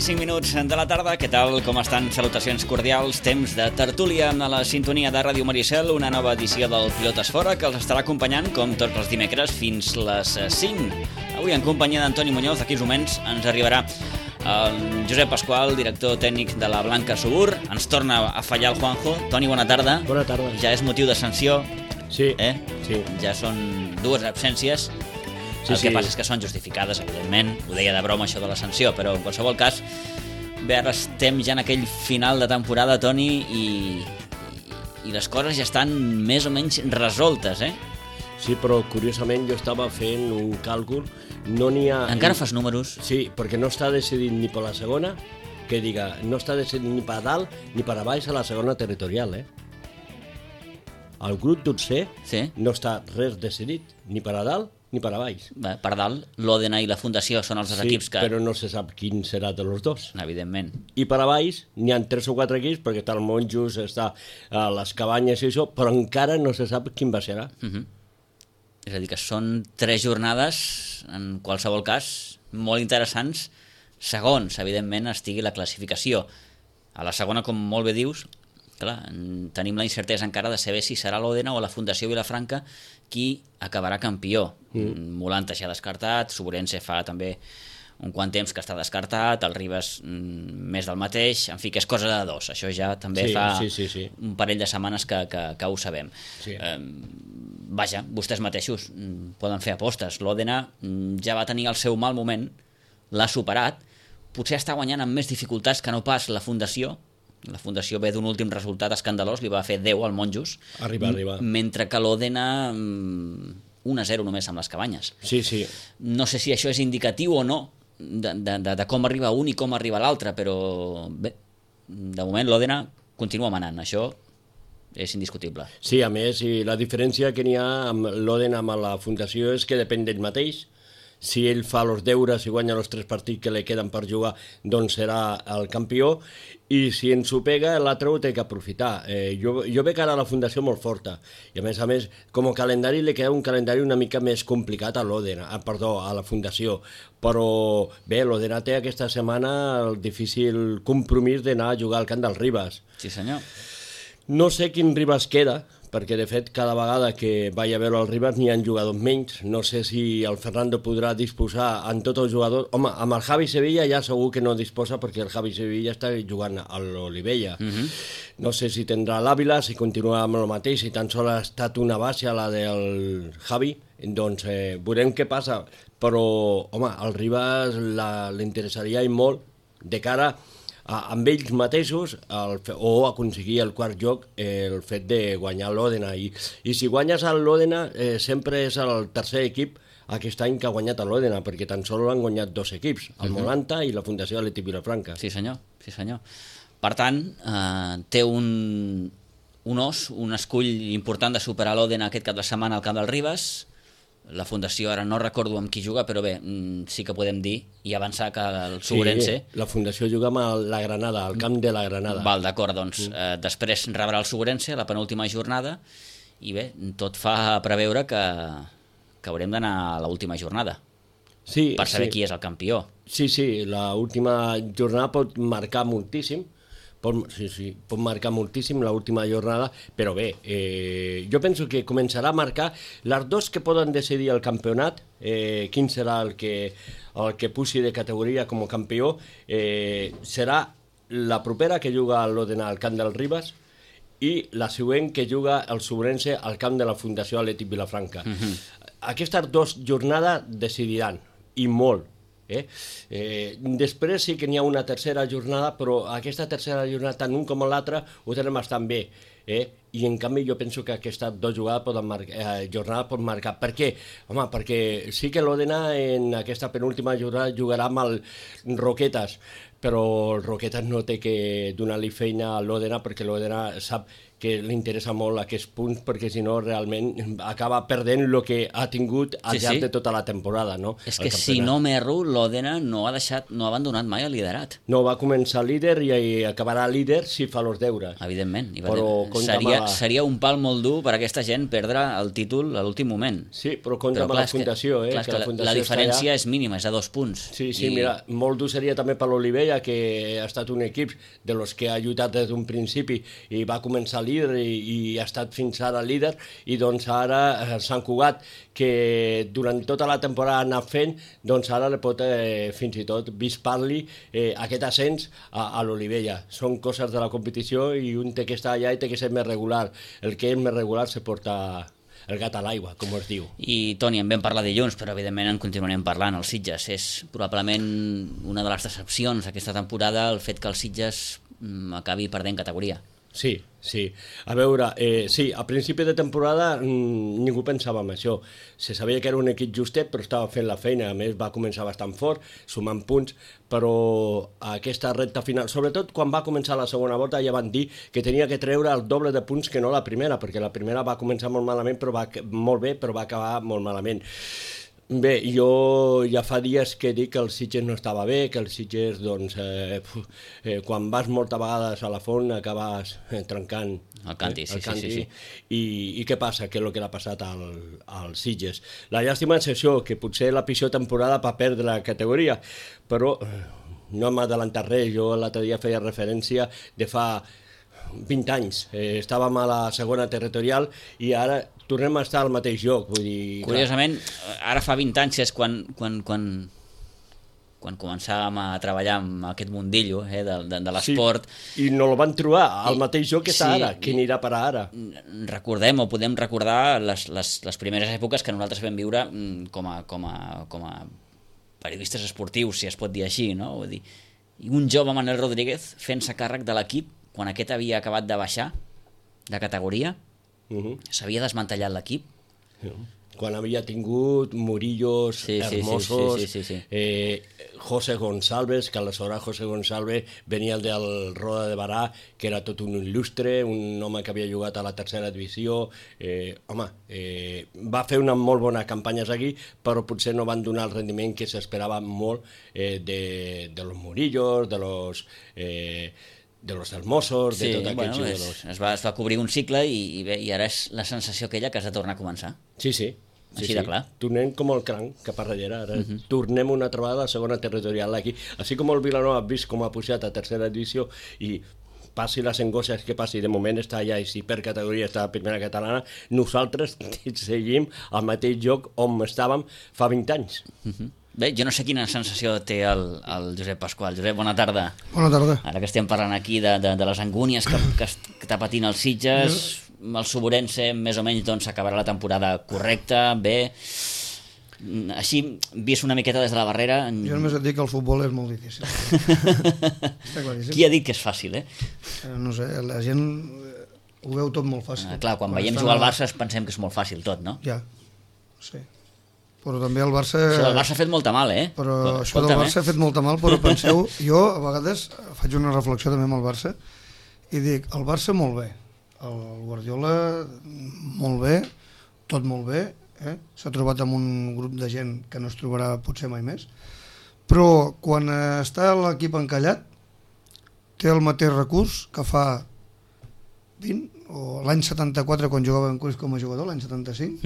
i 5 minuts de la tarda. Què tal? Com estan? Salutacions cordials. Temps de tertúlia a la sintonia de Ràdio Maricel, una nova edició del Pilotes Fora que els estarà acompanyant, com tots els dimecres, fins les 5. Avui en companyia d'Antoni Muñoz. D'aquí uns moments ens arribarà el Josep Pasqual, director tècnic de la Blanca Subur. Ens torna a fallar el Juanjo. Toni, bona tarda. Bona tarda. Ja és motiu de sanció. Sí, sí. Ja són 2 absències. El que passa és que són justificades, evidentment. Ho deia de broma, això de la sanció, però en qualsevol cas, bé, ara estem ja en aquell final de temporada, Toni, i les coses ja estan més o menys resoltes, eh? Sí, però curiosament jo estava fent un càlcul, no n'hi ha... Encara fas números? Sí, perquè no està decidit ni per la segona, que diga, no està decidit ni per dalt ni per a baix a la segona territorial, eh? El grup d'Utser no està res decidit, ni per a dalt ni per a baix. Bé, per dalt, l'Òdena i la Fundació són els equips que... Sí, però no se sap quin serà de los dos. Evidentment. I per a baix n'hi ha 3 o 4 equips, perquè està el Monjos, està a les Cabanyes i això, però encara no se sap quin va serà. És a dir, que són 3 jornades, en qualsevol cas, molt interessants, segons, evidentment, estigui la classificació. A la segona, com molt bé dius, clar, tenim la incertesa encara de saber si serà l'Òdena o la Fundació Vilafranca qui acabarà campió. Molanta ja descartat, Sobrense fa també un quant temps que està descartat, el Ribes més del mateix, en fi, que és cosa de 2. Això ja també fa un parell de setmanes que ho sabem. Sí. Vaja, vostès mateixos poden fer apostes. L'Òdena ja va tenir el seu mal moment, l'ha superat, potser està guanyant amb més dificultats que no pas la Fundació. La Fundació ve d'un últim resultat escandalós, li va fer 10 al Monjos. Arriba. Mentre que l'Òdena 1-0 només amb les Cabanyes. Sí. No sé si això és indicatiu o no de com arriba un i com arriba l'altre, però bé, de moment l'Òdena continua manant, això és indiscutible. Sí, a més, i la diferència que n'hi ha amb l'Òdena amb la Fundació és que depèn d'ell mateix. Si ell fa els deures i guanya els 3 partits que li queden per jugar, doncs serà el campió, i si ens ho pega, l'altre ho té que aprofitar. Jo veig ara la Fundació molt forta, i a més, com a calendari li queda un calendari una mica més complicat a la Fundació, però bé, l'Òdena té aquesta setmana el difícil compromís d'anar a jugar al camp del Ribes. Sí, senyor. No sé quin Ribes queda, perquè de fet cada vegada que vaig a veure el Ribes n'hi ha jugadors menys. No sé si el Fernando podrà disposar en tots els jugadors. Home, amb el Javi Sevilla ja segur que no disposa, perquè el Javi Sevilla està jugant a l'Olivella. No sé si tindrà l'Àvila, si continua amb el mateix, si tan sols ha estat una base a la del Javi, doncs veurem què passa. Però, home, al Ribes li interessaria molt de cara amb ells mateixos o aconseguir el quart lloc, el fet de guanyar l'Òdena. I si guanyes a l'Òdena sempre és el tercer equip aquest any que ha guanyat a l'Òdena, perquè tan sols han guanyat 2 equips, el Molanta i la Fundació Atlètic Vilafranca. Sí senyor. Per tant, té un os, un escull important de superar l'Òdena aquest cap de setmana al camp del Ribes. La Fundació ara no recordo amb qui juga, però bé, sí que podem dir i avançar que el Sobrense... Sí, la Fundació juga amb la Granada, al camp de la Granada. Val, d'acord, doncs després rebrà el Sobrense la penúltima jornada i bé, tot fa preveure que haurem d'anar a l'última jornada per saber qui és el campió. Sí, l'última jornada pot marcar moltíssim, pot marcar moltíssim l'última jornada, però bé, jo penso que començarà a marcar les 2 que poden decidir el campionat, quin serà el que pugi de categoria com a campió, serà la propera que juga l'Òdena al camp del Ribes i la següent que juga el Sobrense al camp de la Fundació Atlètic Vilafranca. Aquestes 2 jornades decidiran, i molt. Després sí que n'hi ha una tercera jornada, però aquesta tercera jornada, tant un com l'altre, ho tenen bastant bé. I en canvi jo penso que aquestes 2 jornades pot marcar. Per què? Home, perquè sí que l'Òdena en aquesta penúltima jornada jugarà amb el Roquetes, però el Roquetes no té que donar-li feina a l'Òdena, perquè l'Òdena sap que li interessa molt aquests punts, perquè si no realment acaba perdent el que ha tingut al llarg de tota la temporada, no? És que si no m'erro, l'Òdena no ha abandonat mai el liderat. No, va començar líder i acabarà líder si fa els deures. Evidentment. Però seria un pal molt dur per a aquesta gent perdre el títol a l'últim moment. Sí, però compta amb la Fundació. La diferència és mínima, és a 2 punts. Sí, mira, molt dur seria també per l'Olivella, que ha estat un equip de los que ha lluitat des d'un principi i va començar líder i ha estat fins ara líder, i doncs ara Sant Cugat, que durant tota la temporada ha anat fent, doncs ara li pot fins i tot vispar-li aquest ascens a l'Olivella. Són coses de la competició i un té que estar allà i té que ser més regular. El que és més regular se porta el gat a l'aigua, com es diu. I Toni, en vam parlar dilluns, però evidentment en continuarem parlant. El Sitges és probablement una de les decepcions aquesta temporada, el fet que el Sitges acabi perdent categoria. Sí. A veure, sí, a principi de temporada ningú pensava en això. Se sabia que era un equip justet, però estava fent la feina. A més, va començar bastant fort, sumant punts, però aquesta recta final, sobretot quan va començar la segona volta, ja van dir que tenia que treure el doble de punts que no la primera, perquè la primera va començar molt malament, molt bé, però va acabar molt malament. Bé, jo ja fa dies que dic que el Sitges no estava bé, que el Sitges, doncs, quan vas moltes vegades a la font acabes trencant el canti, sí. I què passa? Què és el que l'ha passat al Sitges? La llàstima és això, que potser la pitjor temporada va perdre la categoria, però no m'ha adelantat res. Jo l'altre dia feia referència de fa 20 anys. Estàvem a la segona territorial i ara tornem a estar al mateix lloc. Vull dir, curiosament, ara fa 20 anys és quan començàvem a treballar amb aquest mundillo de l'esport. Sí, i no el van trobar al mateix lloc que està ara. Què anirà per ara? Recordem o podem recordar les primeres èpoques que nosaltres vam viure com a periodistes esportius, si es pot dir així, no? Vull dir, i un jove Manel Rodríguez fent-se càrrec de l'equip quan aquest havia acabat de baixar de categoria. S'havia desmantellat l'equip. Quan havia tingut Murillos, Hermosos, José Gonçalves, que aleshores José Gonçalves venia del Roda de Barà, que era tot un il·lustre, un home que havia jugat a la tercera divisió. Va fer una molt bona campanya aquí, però potser no van donar el rendiment que s'esperava molt de los Murillos, de los Hermosos, de tot aquests jugadors. Es va cobrir un cicle i ara és la sensació aquella que has de tornar a començar. Sí. Així de clar. Tornem com el cranc cap a darrere. Ara tornem una trobada a la segona territorial aquí. Així com el Vilanova ha vist com ha pujat a tercera divisió i passi les angosses que passi, de moment està allà i si per categoria està a primera catalana, nosaltres seguim al mateix lloc on estàvem fa 20 anys. Bé, jo no sé quina sensació té el Josep Pasqual. Josep, bona tarda. Bona tarda. Ara que estem parlant aquí de les angúnies que està patint el Sitges, el Suburense més o menys doncs acabarà la temporada correcta, bé. Així, vist una miqueta des de la barrera... Jo només et dic que el futbol és molt difícil. Està claríssim. Qui ha dit que és fàcil, No sé, la gent ho veu tot molt fàcil. Clar, quan veiem jugar al Barça pensem que és molt fàcil tot, no? Ja, sí. Però també el Barça... Això del Barça ha fet molta mal, Però això del Barça ha fet molta mal, però penseu... Jo, a vegades, faig una reflexió també amb el Barça i dic, el Barça molt bé, el Guardiola molt bé, tot molt bé, s'ha trobat amb un grup de gent que no es trobarà potser mai més, però quan està l'equip encallat té el mateix recurs que fa 20, o l'any 74 quan jugava en Cruyff com a jugador, l'any 75,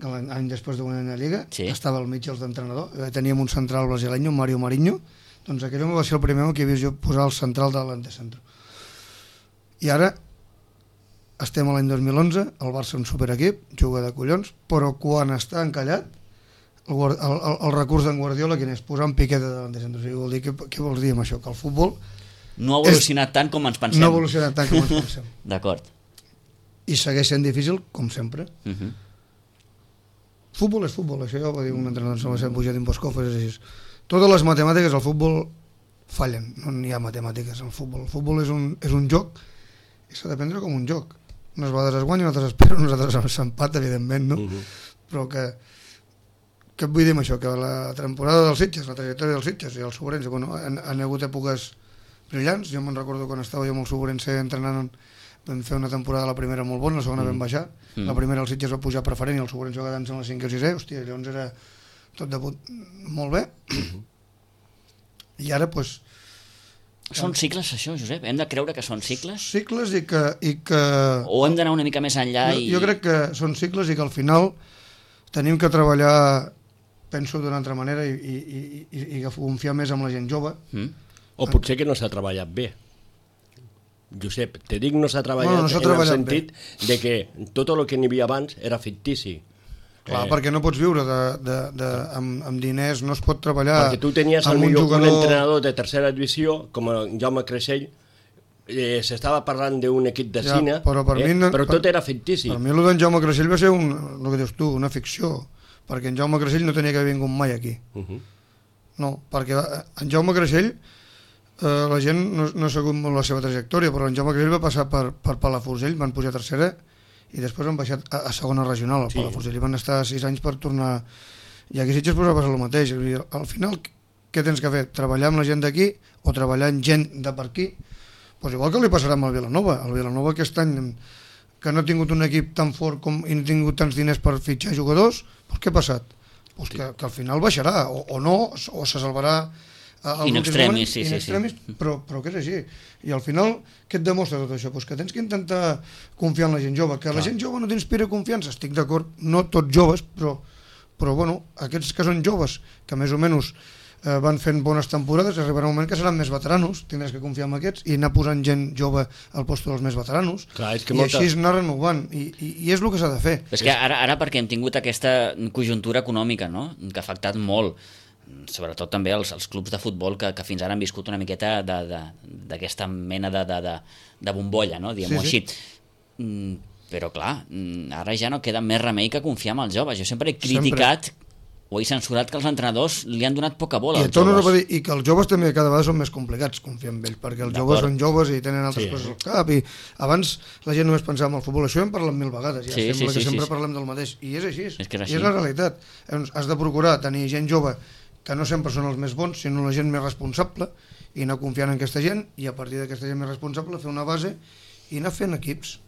l'any després de guanyar la Lliga, estava al mig els d'entrenador, teníem un central brasileño, Mario Marinho, doncs aquell home va ser el primer que havia vist posar el central de l'antecentro. I ara estem a l'any 2011, el Barça un superequip, juga de collons, però quan està encallat, el recurs d'en Guardiola, quin és? Posar un Piqué de l'antecentro. O sigui, vol dir, què vols dir amb això? Que el futbol... No ha evolucionat tant com ens pensem. No ha evolucionat tant com ens pensem. D'acord. I segueix sent difícil, com sempre. Futbol és futbol, això ja ho va dir un entrenador, em sembla Pujat Imboskov, és així. Totes les matemàtiques al futbol fallen, no n'hi ha matemàtiques al futbol. El futbol és un joc i s'ha de prendre com un joc. Unes vegades es guanya, unes altres es perd, unes altres s'empat, evidentment, no? Però que et vull dir amb això, que la temporada dels Sitges, la trajectòria dels Sitges i els Suburense, han hagut èpoques brillants. Jo me'n recordo quan estava jo amb el Suburense entrenant vam fer una temporada a la primera molt bona, la segona vam baixar, la primera el Sitges va pujar preferent i el Sobrense va quedar-nos en la 5 o 6è, hòstia, llavors era tot de molt bé. I ara, doncs... Són cicles, això, Josep? Hem de creure que són cicles? Cicles i que... O hem d'anar una mica més enllà i... Jo crec que són cicles i que al final tenim que treballar, penso, d'una altra manera i confiar més en la gent jove. O potser que no s'ha treballat bé. Josep, te dic no s'ha treballat, no s'ha en el treballat sentit de que tot el que n'hi havia abans era fictici. Clar, perquè no pots viure amb diners, no es pot treballar perquè tu tenies amb un un entrenador de tercera divisió, com el Jaume Creixell, s'estava parlant d'un equip de cine, però tot era fictici. Per mi el d'en Jaume Creixell va ser, el que dius tu, una ficció, perquè en Jaume Creixell no tenia que haver vingut mai aquí. No, perquè en Jaume Creixell, la gent no ha sabut molt la seva trajectòria, però en Jaume Creixell va passar per Palafrugell, van pujar a tercera, i després han baixat a segona regional, al Palafrugell, i van estar 6 anys per tornar, i aquí Sitges va passar el mateix. Al final, què tens que fer? Treballar amb la gent d'aquí o treballar amb gent de per aquí? Pues igual que li passarà amb el Vilanova. El Vilanova aquest any, que no ha tingut un equip tan fort i no ha tingut tants diners per fitxar jugadors, pues què ha passat? Pues que al final baixarà, o no, o se salvarà in extremis, sí. Però que és així. I al final, què et demostra tot això? Pues que tens que intentar confiar en la gent jove. Que la gent jove no t'inspira confiança, estic d'acord, no tots joves, però bueno, aquests que són joves, que més o menys van fent bones temporades, arribarà un moment que seran més veteranos, tindràs que confiar en aquests i anar posant gent jove al lloc dels més veteranos. Clar, i així anar renovant, i és el que s'ha de fer. És que ara perquè hem tingut aquesta conjuntura econòmica, no?, que ha afectat molt, sobretot també els clubs de futbol que fins ara han viscut una miqueta d'aquesta mena de bombolla, no?, diguem-ho així. Però clar, ara ja no queda més remei que confiar en els joves. Jo sempre he criticat o he censurat que els entrenadors li han donat poca bola als joves. I que els joves també cada vegada són més complicats confiar en ells, perquè els joves són joves i tenen altres coses al cap, i abans la gent només pensava en el futbol. Això hem parlat 1000 vegades, sembla que sempre parlem del mateix, i és així, i és la realitat. Has de procurar tenir gent jove que no sempre són els més bons, sinó la gent més responsable, i anar confiant en aquesta gent, i a partir d'aquesta gent més responsable fer una base i anar fent equips.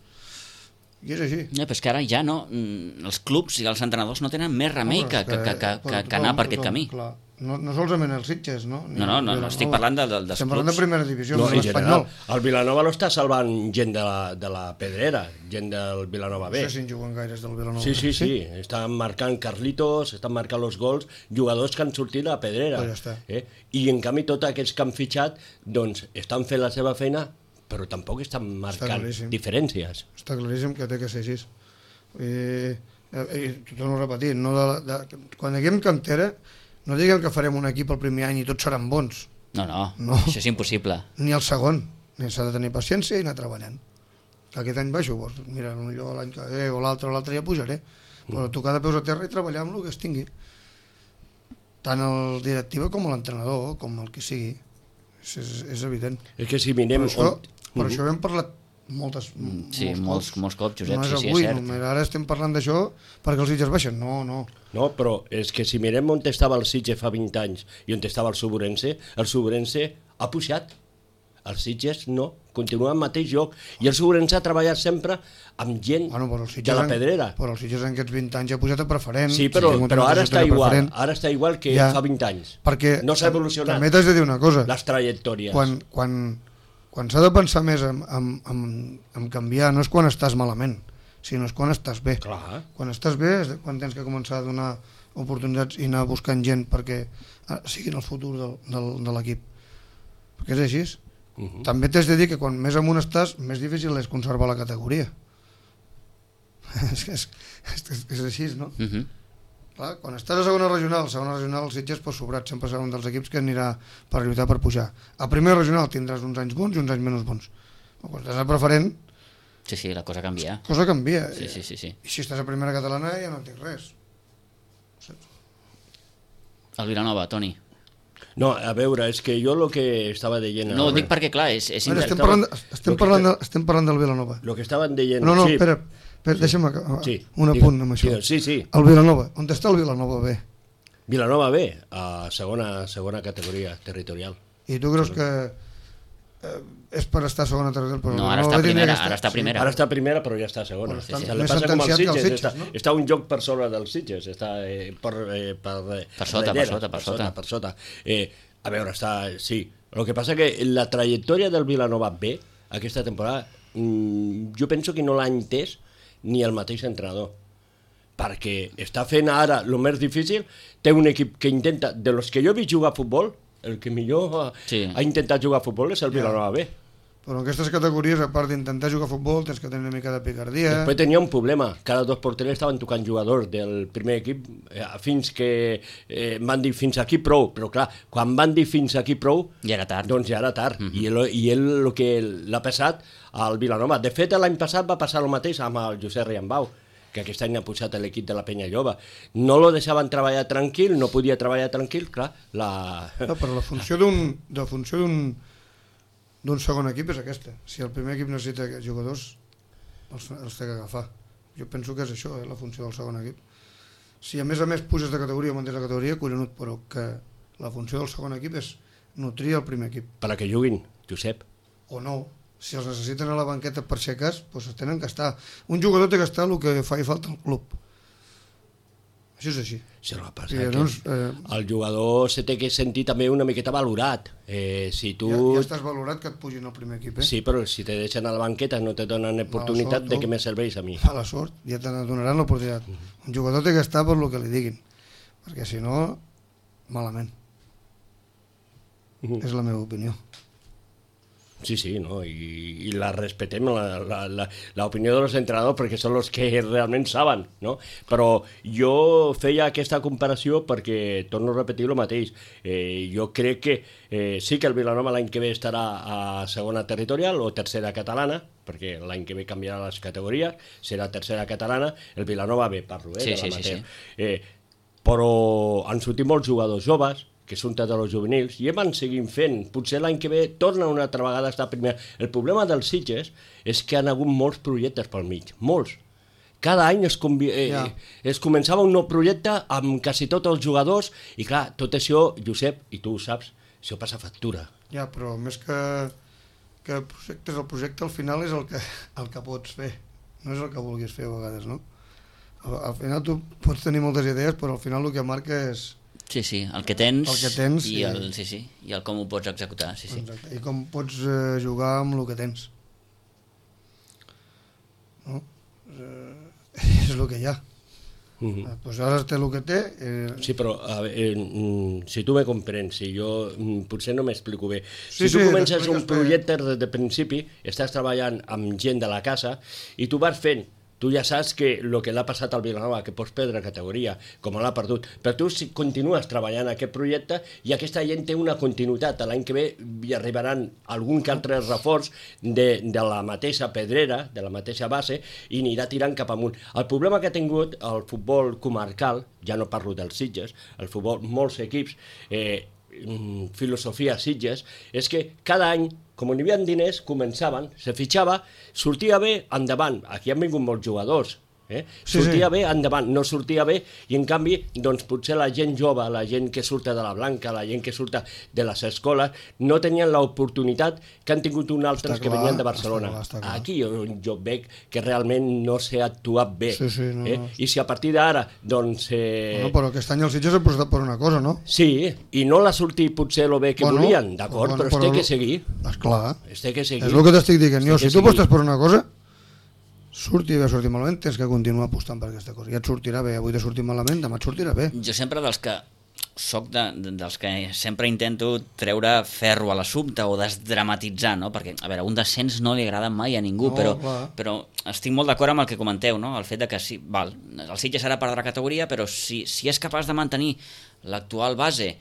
I és així. Però és que ara ja no, els clubs i els entrenadors no tenen més remei que anar per aquest camí. Clar. No solament els Sitges, no? No, estic parlant dels clubs. Estem parlant de primera divisió, no l'Espanyol. El Vilanova no està salvant gent de la Pedrera, gent del Vilanova B. No sé si en juguen gaires del Vilanova. Sí. Estan marcant Carlitos, estan marcant els gols, jugadors que han sortit de la Pedrera. Pues ja està. I en canvi tots aquests que han fitxat doncs estan fent la seva feina, però tampoc estan marcant diferències. Està claríssim que té que ser així. T'ho torno a repetir, quan diguem cantera, no diguem que farem un equip el primer any i tots seran bons. No, això és impossible. Ni el segon. S'ha de tenir paciència i anar treballant. Aquest any baixo, mira, potser l'any que ve o l'altre ja pujaré. Però tocar de peus a terra i treballar amb el que es tingui. Tant el directiu com l'entrenador, com el que sigui. És evident. És que si mirem... Per això hem parlat molts cops, Josep, sí, és cert. Ara estem parlant d'això perquè els Sitges baixen, no, però és que si mirem on estava el Sitges fa 20 anys i on estava el Sobrense ha pujat. Els Sitges no, continua al mateix lloc, i el Sobrense ha treballat sempre amb gent de la Pedrera. Però el Sitges en aquests 20 anys ha pujat a preferent. Sí, però ara està igual que fa 20 anys. Perquè no s'ha evolucionat. També t'has de dir una cosa. Les trajectòries. Quan s'ha de pensar més en canviar, no és quan estàs malament, sinó és quan estàs bé. Clar. Quan estàs bé és quan tens que començar a donar oportunitats i anar buscant gent perquè siguin el futur de l'equip. Perquè és així. També t'has de dir que quan més amunt estàs, més difícil és conservar la categoria. És així, no? Clar, quan estàs a segona regional el Sitges pot sobrat, sempre serà un dels equips que anirà per lluitar per pujar. A primera regional tindràs uns anys bons i uns anys menys bons. Quan estàs a preferent... Sí, la cosa canvia. Sí. I si estàs a primera catalana ja no tinc res. El Vilanova, Toni. No, a veure, és que jo el que estava dient... No, ho dic perquè, clar, és... Estem parlant del Vilanova. El que estaven dient... No, espera, deixa'm acabar un apunt amb això. Sí. El Vilanova, on està el Vilanova B? Vilanova B, a segona categoria territorial. I tu creus que és per estar a segona tercera, però No, ara està primera, ara està primera. Ara està primera, però ja està a segona. Però està Se li més passa com als sentenciat que els Sitges, Sitges, no? està un joc per sobre dels Sitges, està per sota. A veure, sí. El que passa que la trajectòria del Vilanova B aquesta temporada, jo penso que no l'ha entès ni el mateix entrenador, perquè està fent ara el més difícil, té un equip que intenta, de los que jo he vist jugar a futbol, el que millor ha intentat jugar a futbol és el Vilanova B. Però en aquestes categories, a part d'intentar jugar a futbol, tens que tenir una mica de picardia. Després tenia un problema, cada dos porters estaven tocant jugadors del primer equip fins que van dir fins aquí prou, però clar, quan van dir fins aquí prou, ja era tard. Doncs ja era tard, i ell el que l'ha passat al Vilanova. De fet, l'any passat va passar el mateix amb el Josep Riambau, que aquest any ha pujat a l'equip de la Penya Jove. No lo deixaven treballar tranquil, no podia treballar tranquil, clar. Però la funció d'un segon equip és aquesta. Si el primer equip necessita jugadors, els té que agafar. Jo penso que és això, la funció del segon equip. Si a més puges de categoria o mantens de categoria, collonut, però que la funció del segon equip és nutrir el primer equip. Per a que juguin, Josep. O no. Si els necessiten a la banqueta per ser cas, doncs tenen que estar. Un jugador té que estar el que fa i falta al club. Això és així. Sí, el que passa que el jugador se té que sentir també una miqueta valorat. Si tu... Ja estàs valorat que et pugin al primer equip, Sí, però si te deixen a la banqueta no te donen oportunitat, de què me serveix a mi? A la sort, ja te donaran l'oportunitat. Un jugador té que estar per el que li diguin, perquè si no, malament. És la meva opinió. Sí, no? I la respetem, l'opinió dels entrenadors, perquè són els que realment saben, no? Però jo feia aquesta comparació perquè, torno a repetir el mateix, jo crec que sí que el Vilanova l'any que ve estarà a segona territorial o tercera catalana, perquè l'any que ve canviarà les categories, serà tercera catalana, el Vilanova B, parlo, de l'amateur. Però han sortit molts jugadors joves, que són tots els juvenils, i van seguint fent. Potser l'any que ve torna una altra vegada a estar primer. El problema dels Sitges és que han hagut molts projectes pel mig, molts. Cada any es començava un nou projecte amb quasi tots els jugadors, i clar, tot això, Josep, i tu ho saps, això passa factura. Ja, però més que projectes, el projecte al final és el que pots fer, no és el que vulguis fer a vegades, no? Al final tu pots tenir moltes idees, però al final el que marca és... Sí, el que tens i el com ho pots executar. Exacte. I com pots jugar amb el que tens. No? És el que hi ha. Pues ara té el que té. Sí, però si tu me comprens, si jo potser no m'explico bé, si tu comences un projecte des de principi, estàs treballant amb gent de la casa i tu vas fent, tu ja saps que el que l'ha passat al Vilanova, que pots perdre categoria, com l'ha perdut, però tu continues treballant aquest projecte i aquesta gent té una continuïtat. L'any que ve hi arribaran algun que altre reforç de la mateixa pedrera, de la mateixa base, i anirà tirant cap amunt. El problema que ha tingut el futbol comarcal, ja no parlo dels Sitges, el futbol, molts equips, filosofia Sitges, és que cada any, com n'hi havia diners, començaven, se fitxava, sortia bé, endavant. Aquí han vingut molts jugadors, sortia bé, endavant, no sortia bé, i en canvi, doncs potser la gent jove, la gent que surta de la Blanca, la gent que surta de les escoles, no tenien l'oportunitat que han tingut uns altres que venien de Barcelona. Aquí jo veig que realment no s'ha actuat bé. I si a partir d'ara, doncs... Però aquest any els Sitges han apostat per una cosa, no? Sí, i no l'ha sortit potser el bé que volien, d'acord, però es té que seguir. Esclar, es té que seguir. És el que t'estic dient. Si tu apostes per una cosa, surti bé o surti malament, tens que continuar apostant per aquesta cosa. Ja et sortirà bé, avui t'ha sortit malament, demà et sortirà bé. Jo sempre dels que sempre intento treure ferro a l'assumpte o desdramatitzar, no? Perquè, a veure, un descens no li agrada mai a ningú, però estic molt d'acord amb el que comenteu, no? El fet de que sí, el Sitges ara perdrà categoria, però si és capaç de mantenir l'actual base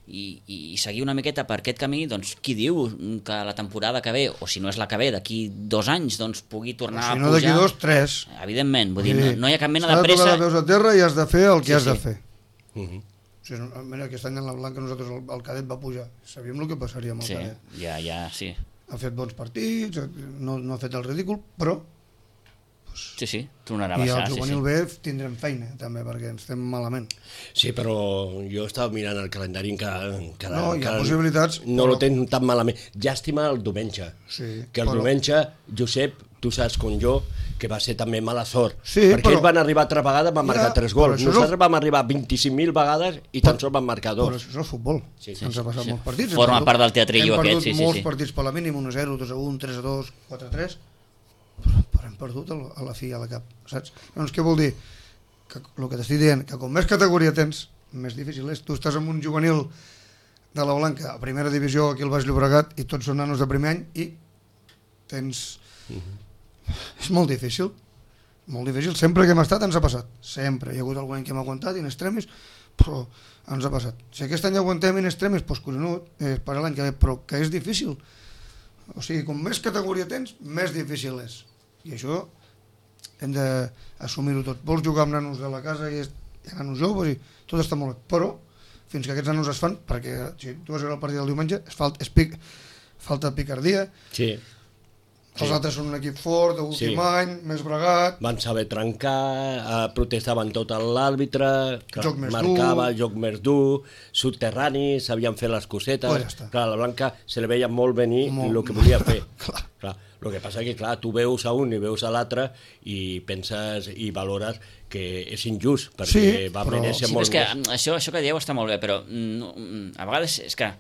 i seguir una miqueta per aquest camí, doncs qui diu que la temporada que ve, o si no és la que ve, d'aquí 2 anys, doncs pugui tornar a pujar. Si no d'aquí 2, 3. Evidentment, vull dir, no hi ha cap mena de pressa. S'ha de tocar de peus a terra i has de fer el que has de fer. Mira, aquest any en la Blanca nosaltres el cadet va pujar, sabíem el que passaria amb el cadet. Sí, ja. Ha fet bons partits, no ha fet el ridícul, però Sí, tornarà a I baixar. al juvenil B tindrem feina, també, perquè ens estem malament. Sí, però jo estava mirant el calendari que No, hi ha possibilitats, no però- lo tens tan malament. Llàstima el diumenge. Sí, Que el però- diumenge, Josep, tu saps com jo, que va ser també mala sort. Sí, perquè però- ells van arribar 3 vegades, van marcar 3 però gols. això és Nosaltres vam arribar 25.000 vegades i tan sols van marcar Però 2. això és el futbol. Sí, Ens ha passat molts partits. Forma part del teatrillo aquest, sí, sí. Hem perdut molts partits per la mínim, 1-0, 2-1, 3-2, 4-3, però hem perdut a la fi a la cap, saps? Llavors, què vol dir? Que el que t'estic dient, que com més categoria tens, més difícil és. Tu estàs en un juvenil de la Blanca, a primera divisió aquí al Baix Llobregat, i tots són nanos de primer any, i tens... És molt difícil. Molt difícil. Sempre que hem estat ens ha passat. Sempre. Hi ha hagut algun any que hem aguantat in extremis, però ens ha passat. Si aquest any aguantem in extremis, doncs collonut, per l'any que ve, però que és difícil. O sigui, com més categoria tens, més difícil és. I això hem d'assumir-ho tot. Vols jugar amb nanos de la casa i hi ha nanos joves i tot està molt bé, però fins que aquests nanos es fan, perquè si tu vas veure el partit del diumenge, falta picardia, Sí. els altres són un equip fort, d'últim any, més bregat, Van saber trencar, protestaven tot a l'àrbitre, Joc més marcava, joc més dur, subterrani, sabien fer les cosetes. Pues ja està. Clar, a la Blanca se li veia molt venir Molt. el que volia fer. Clar. El que passa que, clar, tu veus a un i veus a l'altre i penses i valores que és injust, perquè Sí, va però- mereixer Sí, però molt és que més. això que dieu està molt bé, però no, a vegades és que,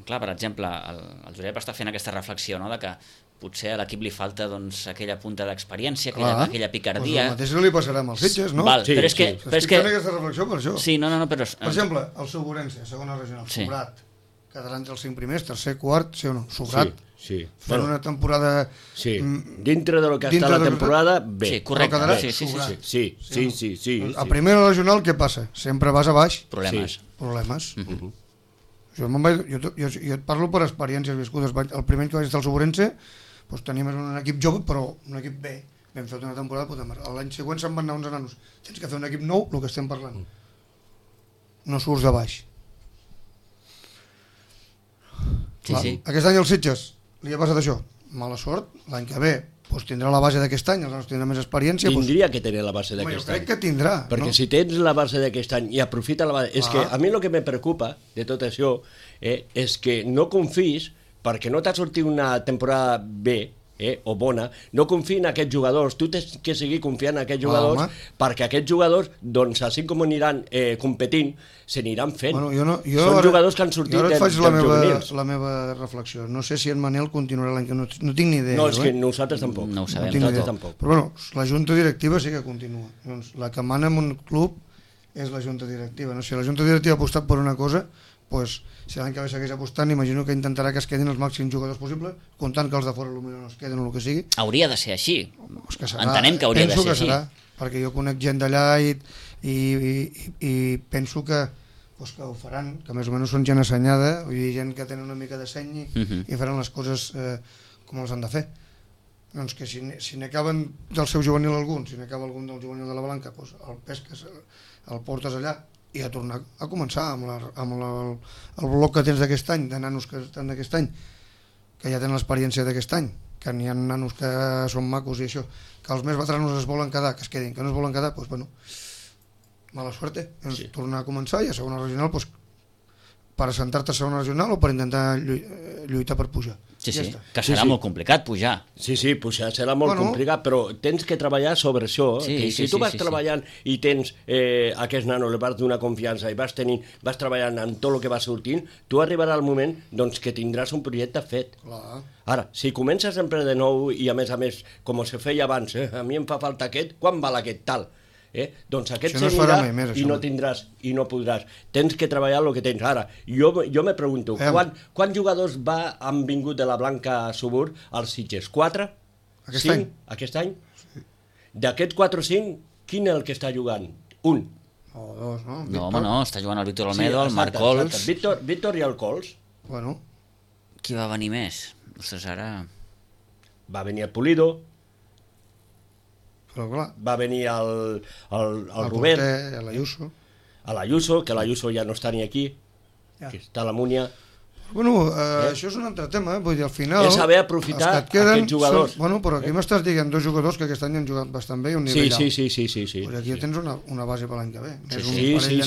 clar, per exemple, el Josep està fent aquesta reflexió, no?, de que potser a l'equip li falta doncs, aquella punta d'experiència, aquella picardia. Doncs el mateix li passarà amb els Sitges, no? Val, Sí, però és que... sí. Però és Estic que fent aquesta reflexió per això. sí, no, però... Per exemple, el Soburense, segona regional, Sí. Sobrat, quedarà entre els 5 primers, tercer, quart, sí o no? Sobrat, Sí. fent una temporada... Sí, mm, dintre de lo que dintre està la de lo que- temporada, bé. Sí, correcte. Però quedarà Sí, sí, sí, sobrat. Sí, sí, sí, sí. A primera regional què passa? Sempre vas a baix, Problemes. Sí. problemes. Jo et parlo per experiències viscudes. El primer any que vaig estar al Soburense, doncs teníem un equip jove, però un equip bé. Vam fer una temporada de puta mare. L'any següent se'n van anar uns nanos. Tens que fer un equip nou, el que estem parlant. No surts de baix. Sí, sí. Aquest any als Sitges li ha passat això. Mala sort. L'any que ve doncs tindrà la base d'aquest any, els nanos tindran més experiència. Tindria que tenir la base Home, jo d'aquest crec any. que tindrà. Perquè no? si tens la base d'aquest any i aprofita la base... És que Ah. a mi el que me preocupa de tot això és que no confis, perquè no t'ha sortit una temporada bé o bona, no confiï en aquests jugadors. Tu tens que seguir confiant en aquests jugadors, home. perquè aquests jugadors, doncs, així com aniran competint, s'aniran fent. Bueno, Són jugadors que han sortit jo ara et faig dels juvenils. la meva reflexió. No sé si en Manel continuarà l'any que no tinc ni idea. No, és jo, que nosaltres tampoc. No ho sabem. tinc ni Nosaltres idea. tampoc. Però bueno, la junta directiva sí que continua. Doncs la que mana en un club és la junta directiva. No? Si la junta directiva ha apostat per una cosa, pues, si l'any que ve segueix apostant, imagino que intentarà que es quedin els màxims jugadors possibles, comptant que els de fora potser no es queden o el que sigui. Hauria de ser així. Pues que serà, Entenem que hauria de penso ser que així. serà, perquè jo conec gent d'allà i penso que, pues, que ho faran, que més o menys són gent assenyada, vull dir, gent que tenen una mica de seny i faran les coses com els han de fer. Doncs que si n'acaben del seu juvenil algun, si n'acaba algun del juvenil de la Blanca, pues el pesques, el portes allà i a tornar a començar amb el bloc que tens d'aquest any, de nanos que estan d'aquest any, que ja tenen l'experiència d'aquest any, que n'hi ha nanos que són macos i això, que els més veteranos es volen quedar, que es quedin, que no es volen quedar, doncs bueno, mala suerte. Sí. Tornar a començar i a segona regional, doncs, per assentar-te a segona regional o per intentar lluitar per pujar. Sí, Ja sí, està. que serà molt complicat pujar. Sí, pujar serà molt complicat, però tens que treballar sobre això. Sí, que si tu vas sí. treballant i tens aquest nano, li vas donar confiança i vas treballant en tot el que va sortint, tu arribarà el moment doncs, que tindràs un projecte fet. Clar. Ara, si comences sempre de nou i a més, com se feia abans, a mi em fa falta aquest, quan val aquest tal? Doncs aquest Això no es s'anirà farà mai més, i això, no no. tindràs i no podràs. Tens que treballar el que tens. Ara, jo me pregunto, quants jugadors han vingut de la Blanca Subur als Sitges? 4? Aquest 5? any? Aquest any? D'aquests 4 o 5, quin és el que està jugant? Un. O dos, no? No, home, no, està jugant el Víctor Olmedo, el Marc Cols... Víctor i el Cols. Bueno, Qui va venir més? Ostres, ara... Va venir el Pulido, però clar, va venir el Robert, porter, l'Ayuso. a l'Ayuso, que l'Ayuso ja no està ni aquí, Ja. que està a la Múnia. Bueno, això és un altre tema, vull dir, al final... És saber aprofitar aquests jugadors. Bueno, però aquí m'estàs dient dos jugadors que aquest any han jugat bastant bé i un nivell alt. Sí. Però aquí tens una base per l'any que ve. Sí.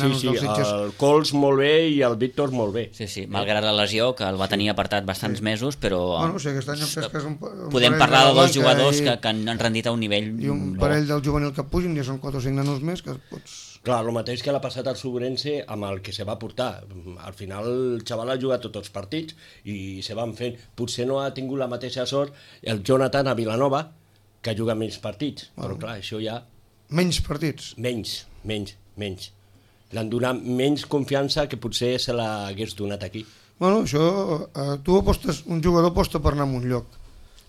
El Cols molt bé i el Víctor molt bé. Sí, malgrat la lesió, que el va tenir apartat bastants mesos, però... Bueno, sí, aquest any que és un podem parlar de dos jugadors que han rendit a un nivell... I un parell del juvenil que pugin, ja són 4 o 5 nanos més que pots... Clar, el mateix que l'ha passat al Sobrense amb el que se va portar. Al final el xaval ha jugat tots els partits i se van fent. Potser no ha tingut la mateixa sort el Jonathan a Vilanova, que juga menys partits. Però clar, això ja... Menys partits? Menys. L'han donat menys confiança que potser se l'hagués donat aquí. Bueno, això... Tu apostes, un jugador aposta per anar a un lloc.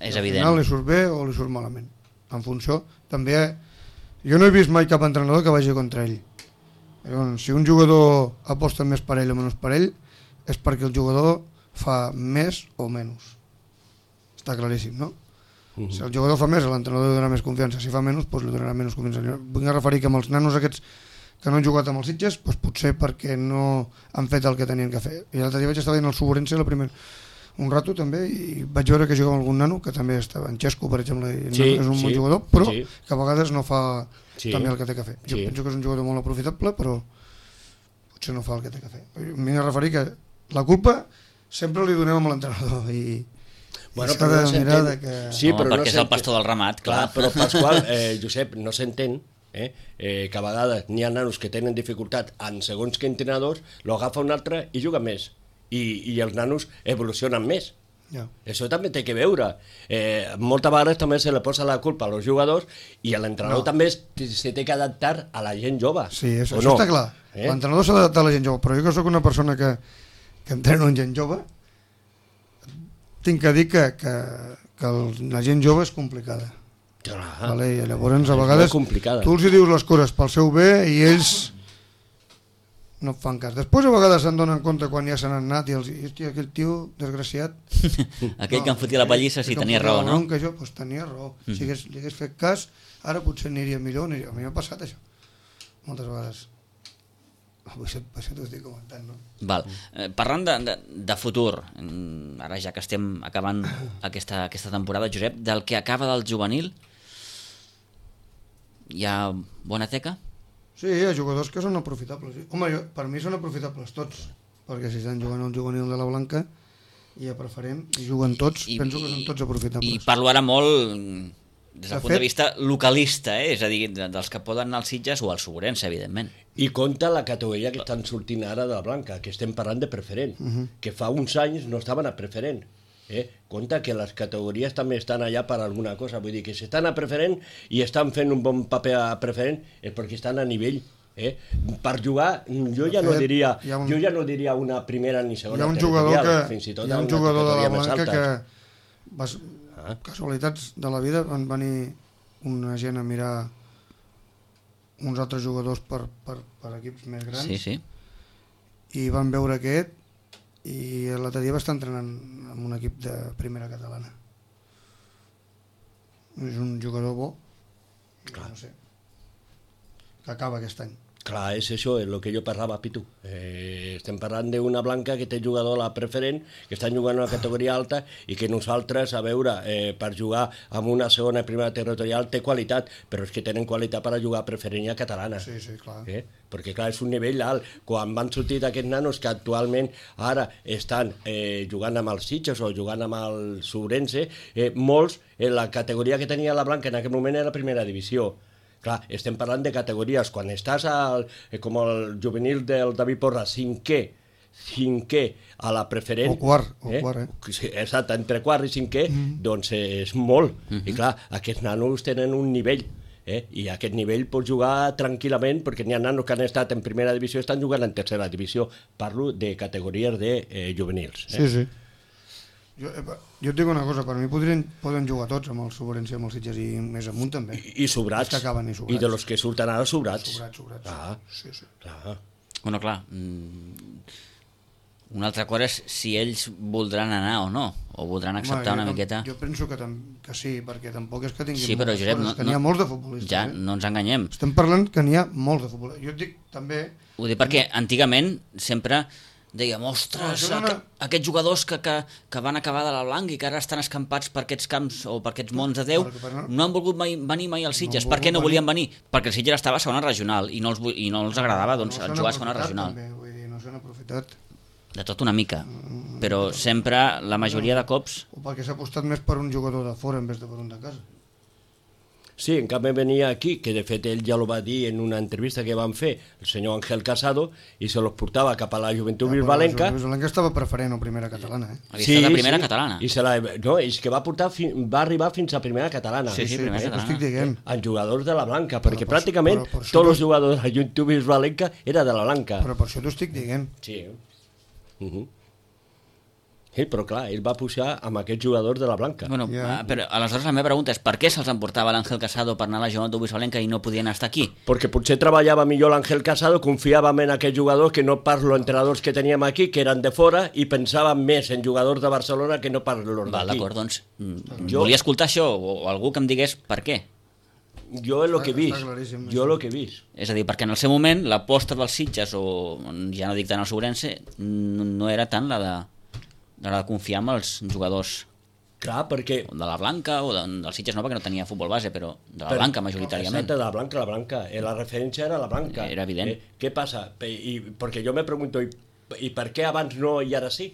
És evident. Al final li surt bé o li surt malament. En funció, també... Jo no he vist mai cap entrenador que vagi contra ell. Llavors, si un jugador aposta més per ell o menys per ell, és perquè el jugador fa més o menys. Està claríssim, no? Si el jugador fa més, l'entrenador li donarà més confiança. Si fa menys, doncs li donarà menys confiança. Vull referir que amb els nanos aquests que no han jugat amb els Sitges, doncs potser perquè no han fet el que tenien que fer. I l'altre dia vaig estar veient el Sobrense un rato també, i vaig veure que jugava algun nano que també estava en Xesco, per exemple, és un bon jugador, però que a vegades no fa també el que té que fer. Jo penso que és un jugador molt aprofitable, però potser no fa el que té que fer. Vinc a referir que la culpa sempre li donem amb l'entrenador i s'ha de mirar de que... Sí, però perquè és el pastor del ramat, clar. Però Pasqual, Josep, no s'entén que a vegades n'hi ha nanos que tenen dificultat en segons que entrenadors, lo agafa un altre i juga més. I els nanos evolucionen més. Això també té que veure. Moltes vegades també se li posa la culpa als jugadors i l'entrenador també se té que adaptar a la gent jove. Sí, això està clar. L'entrenador s'ha d'adaptar a la gent jove, però jo que soc una persona que entreno en gent jove, tinc que dir que la gent jove és complicada. Vale? I llavors a vegades tu els dius les coses pel seu bé i ells no et fan cas. Després a vegades se'n donen compte quan ja se n'han anat i els dius, hòstia, aquell tio desgraciat... Aquell que em fotia la pallissa sí tenia raó, no? Que jo, doncs tenia raó. Si li hagués fet cas, ara potser aniria millor. A mi m'ha passat això, moltes vegades. Això t'ho estic comentant, no? Val. Parlant de futur, ara ja que estem acabant aquesta temporada, Josep, del que acaba del juvenil, hi ha bona teca? Sí, hi ha jugadors que són aprofitables. Home, per mi són aprofitables tots, perquè si estan jugant al juvenil de la Blanca i a preferent, i juguen tots, penso que són tots aprofitables. I parlo ara molt des del punt de vista localista, és a dir, dels que poden anar als Sitges o als Sobrense, evidentment. I compta la categoria que estan sortint ara de la Blanca, que estem parlant de preferent, que fa uns anys no estaven a preferent. Compte que les categories també estan allà per alguna cosa, vull dir que si estan a preferent i estan fent un bon paper a preferent és perquè estan a nivell. Per jugar, jo ja no diria una primera ni segona territorial, fins i tot hi ha un jugador de la Blanca que casualitats de la vida van venir una gent a mirar uns altres jugadors per equips més grans i van veure aquest i l'altre dia va estar entrenant amb un equip de primera catalana. És un jugador bo, no sé, que acaba aquest any. Clar, és això, és el que jo parlava, Pitu. Estem parlant d'una Blanca que té jugador a la preferent, que estan jugant a una categoria alta i que nosaltres, a veure, per jugar amb una segona i primera territorial té qualitat, però és que tenen qualitat per a jugar a preferent i a catalana. Sí, clar. Perquè clar, és un nivell alt. Quan van sortir aquests nanos que actualment ara estan jugant amb els Sitges o jugant amb el Sobrense, molts, la categoria que tenia la Blanca en aquell moment era la primera divisió. Clar, estem parlant de categories. Quan estàs com el juvenil del David Porra, cinquè a la preferent... O quart, Sí, exacte, entre quart i cinquè, doncs és molt. I clar, aquests nanos tenen un nivell, i aquest nivell pots jugar tranquil·lament, perquè n'hi ha nanos que han estat en primera divisió i estan jugant en tercera divisió. Parlo de categories de juvenils. Sí. Jo et dic una cosa, per mi poden jugar tots amb el Sobrense i amb els Sitges i més amunt també. I sobrats. Que acaben i sobrats. I de los que surten ara sobrats. Sobrats. Sí. Clar. Bueno, clar, una altra cosa és si ells voldran anar o no, o voldran acceptar una miqueta... Jo penso que sí, perquè tampoc és que tinguin sí, però, Josep, que n'hi ha molts de futbolistes. Ja, no ens enganyem. Estem parlant que n'hi ha molts de futbolistes. Jo et dic també... Ho dic perquè antigament sempre dèiem, ostres, No, aquests jugadors que van acabar de la Blanca i que ara estan escampats per aquests camps o per aquests mons de Déu, no han volgut venir mai als Sitges. Per què no volien venir? Perquè el Sitges estava a segona regional i no els agradava jugar a segona regional. També, vull dir, no s'han aprofitat. De tot una mica, però sempre, la majoria de cops... O perquè s'ha apostat més per un jugador de fora en vez de per un de casa. Sí, en canvi venia aquí, que de fet ell ja ho va dir en una entrevista que van fer, el senyor Ángel Casado, i se los portava cap a la Joventut Bisbalenca. La Bisbalenca estava preferent a primera catalana, Havia estat a primera catalana. I és que va arribar fins a primera catalana. Sí, primera catalana. Estic dient. En jugadors de la Blanca, perquè per pràcticament això tots els jugadors de la Joventut Bisbalenca era de la Blanca. Però per això t'ho estic dient. Sí. Sí, però clar, ell va pujar amb aquests jugadors de la Blanca. Bueno, però aleshores la meva pregunta és per què se'ls emportava l'Àngel Casado per anar a la Joventut Bisbalenca i no podien estar aquí? Perquè potser treballava millor l'Àngel Casado, confiàvem en aquests jugadors que no pas els entrenadors que teníem aquí, que eren de fora, i pensàvem més en jugadors de Barcelona que no pas els d'aquí. D'acord, doncs volia escoltar això, o algú que em digués per què. Jo és el que he vist. Jo és el que he vist. És a dir, perquè en el seu moment l'aposta dels Sitges, o ja no dic tant el Sobrense, no era tant la de confiar en els jugadors Clar, perquè... de la Blanca, o del Sitges no, perquè no tenia futbol base, però de la Blanca majoritàriament. Exacte, de la Blanca. La referència era la Blanca. Era evident. Què passa? Perquè jo me pregunto, i per què abans no i ara sí?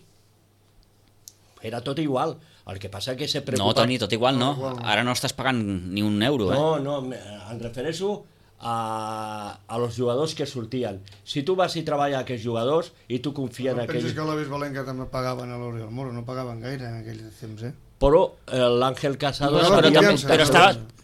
Era tot igual. El que passa que se preocupa... No, Toni, tot igual no. Ara no estàs pagant ni un euro, No, em refereixo a los jugadors que sortien. Si tu vas i treballar a aquests jugadors i tu confies en aquells... Penses que la Bisbalenca també pagaven a l'Oriol Moro, no pagaven gaire en aquell temps, Però l'Àngel Casado...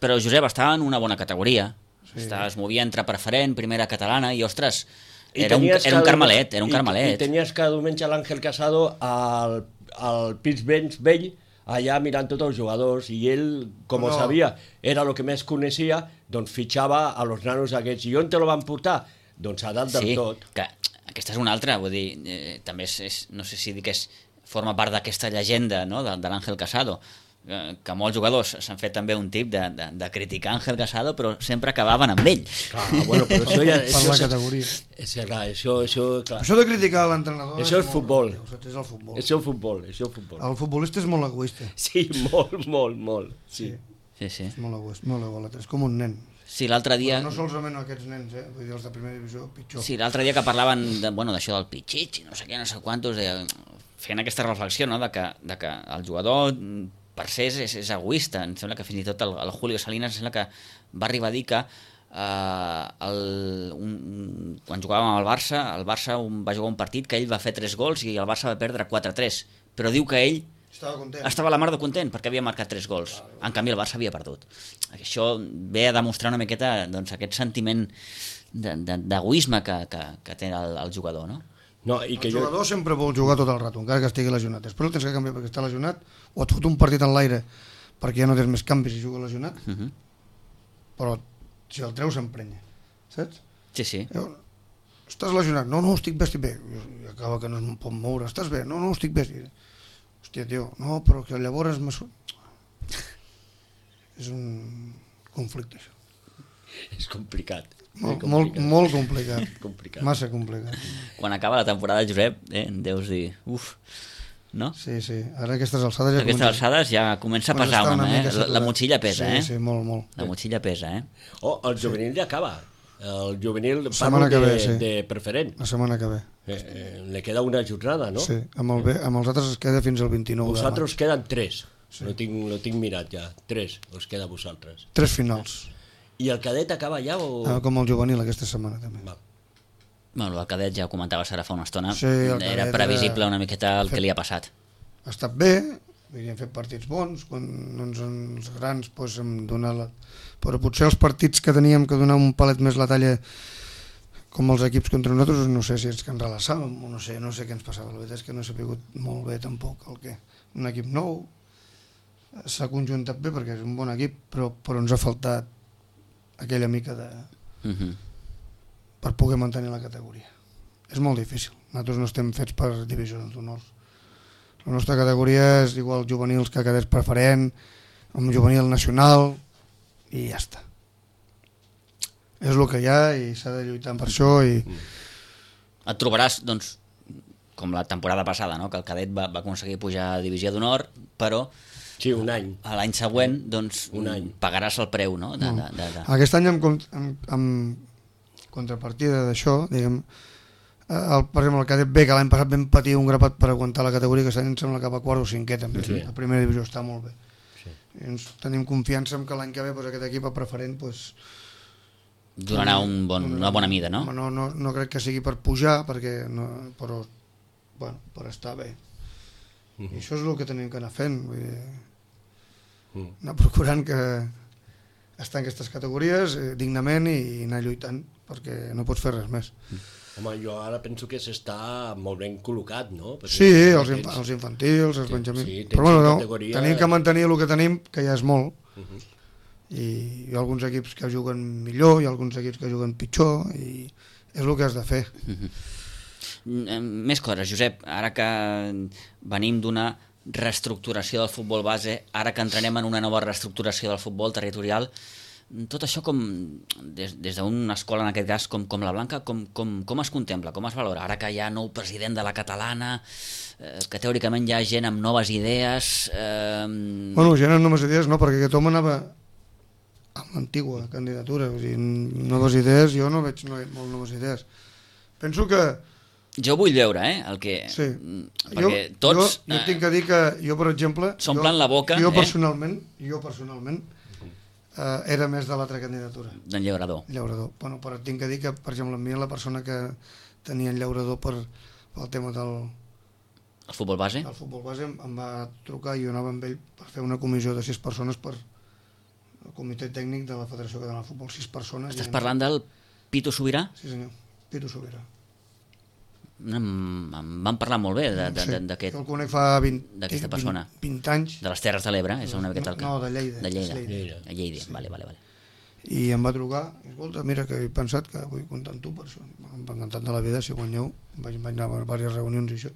Però Josep, estava en una bona categoria. Es movia entre preferent, primera catalana, i ostres, era un carmelet. I tenies cada diumenge l'Àngel Casado al pis vell, allà mirant tots els jugadors, i ell, com ho sabia, era el que més coneixia, doncs fitxava a los nanos aquests. I on te lo van portar? Doncs a dalt del tot. Sí, que aquesta és una altra, vull dir, també no sé si dir que forma part d'aquesta llegenda, no?, de l'Àngel Casado, que molts jugadors s'han fet també un tip de criticar Ángel Casado, però sempre acabaven amb ell. Clar, bueno, però això ja... Per la categoria. Clar, clar. Això de criticar l'entrenador... Això és futbol. És el futbol. Això és futbol. El futbolista és molt egoista. Sí, molt. Sí. És molt egoista, és com un nen. Sí, l'altre dia... Però no solament aquests nens, vull dir, els de primera divisió, pitjor. Sí, l'altre dia que parlaven d'això del pitxitx, no sé què, no sé quantos, feien aquesta reflexió, no?, de que el jugador... per ser és egoista. Em sembla que fins i tot el Julio Salinas sembla que va arribar a dir que quan jugàvem amb el Barça va jugar un partit que ell va fer 3 gols i el Barça va perdre 4-3, però diu que ell estava a la mar de content perquè havia marcat 3 gols. En canvi el Barça havia perdut. Això ve a demostrar una miqueta aquest sentiment d'egoisme que té el jugador, no? No, i que el jugador sempre vol jugar tot el rato, encara que estigui lesionat. Després el tens que canviar perquè està lesionat, o et fot un partit en l'aire perquè ja no tens més canvis i juga lesionat, però si el treus s'emprenya, saps? Sí. Estàs lesionat? No, estic bé. I acaba que no es pot moure. Estàs bé? No, estic bé. Hòstia, tio, no, però que llavors és un conflicte, això. És complicat. Molt complicat. Massa complicat. Quan acaba la temporada, Josep, deus dir, no? Sí, ara a aquestes alçades ja comença a pesar una mica, la motxilla pesa, Sí, molt. La motxilla pesa, el juvenil ja acaba. El juvenil parlo de preferent. La setmana que ve. Le queda una jornada, no? Sí, amb els altres es queda fins al 29 de maig. Vosaltres queden 3. No tinc mirat ja. 3 us queda a vosaltres. 3 finals. I el cadet acaba ja o...? Com el juvenil aquesta setmana també. Bueno, el cadet ja ho comentaves ara fa una estona, era previsible una miqueta el que li ha passat. Ha estat bé, hem fet partits bons, quan els grans hem donat però potser els partits que teníem que donar un palet més la talla com els equips contra nosaltres, no sé si és que ens relaxàvem o no sé què ens passava. La veritat és que no he sabut molt bé tampoc un equip nou s'ha conjuntat bé perquè és un bon equip, però ens ha faltat aquella mica de... per poder mantenir la categoria. És molt difícil. Nosaltres no estem fets per divisions d'honors. La nostra categoria és igual juvenils que cadets preferent, amb juvenil nacional, i ja està. És el que hi ha i s'ha de lluitar per això. I... Et trobaràs, doncs, com la temporada passada, no? Que el cadet va aconseguir pujar a divisió d'honor, però Sí, un any. l'any següent doncs, pagaràs el preu, no? Aquest any amb contrapartida d'això, diguem, per exemple, el cadet B, que l'any passat vam patir un grapat per aguantar la categoria, que em sembla que va a quart o cinquè també, sí. La primera divisió està molt bé. Sí. I ens tenim confiança en que l'any que ve aquest equip a preferent donarà una bona mida, no? No crec que sigui per pujar, però per estar bé. I això és el que tenim que anar fent, vull dir, anar procurant que estar en aquestes categories dignament i anar lluitant, perquè no pots fer res més. Home, jo ara penso que s'està molt ben col·locat, no? Perquè sí, els infantils, els benjamins... Sí, però tenim que mantenir el que tenim, que ja és molt, i hi ha alguns equips que juguen millor, hi ha alguns equips que juguen pitjor, i és el que has de fer. Més coses, Josep, ara que venim d'una reestructuració del futbol base, ara que entrarem en una nova reestructuració del futbol territorial, tot això com des d'una escola, en aquest cas, com la Blanca, com es contempla, com es valora? Ara que hi ha nou president de la catalana, que teòricament hi ha gent amb noves idees... Bueno, gent amb noves idees no, perquè aquest home anava amb l'antigua candidatura, o sigui, noves idees, jo no veig molt noves idees. Penso que... Jo vull veure, el que... Sí. Perquè tots... Jo tinc que dir que jo, per exemple... S'omplen la boca... Jo personalment era més de l'altra candidatura. D'en Llaurador. Bueno, però tinc que dir que, per exemple, a mi la persona que tenia en Llaurador pel tema del... El futbol base? El futbol base em va trucar i jo anava amb ell per fer una comissió de 6 persones per el comitè tècnic de la Federació Catalana de Futbol. 6 persones. Estàs parlant del Pitu Sobirà? Sí, senyor. Pitu Sobirà. Em van parlar molt bé d'aquest... Jo el conec fa 20 anys. De les Terres de l'Ebre? No, de Lleida. De Lleida, sí. Vale. I em va trucar, escolta, mira que he pensat que vull comptar amb tu per això. Em va encantat de la vida, si guanyeu, vaig anar a diverses reunions i això,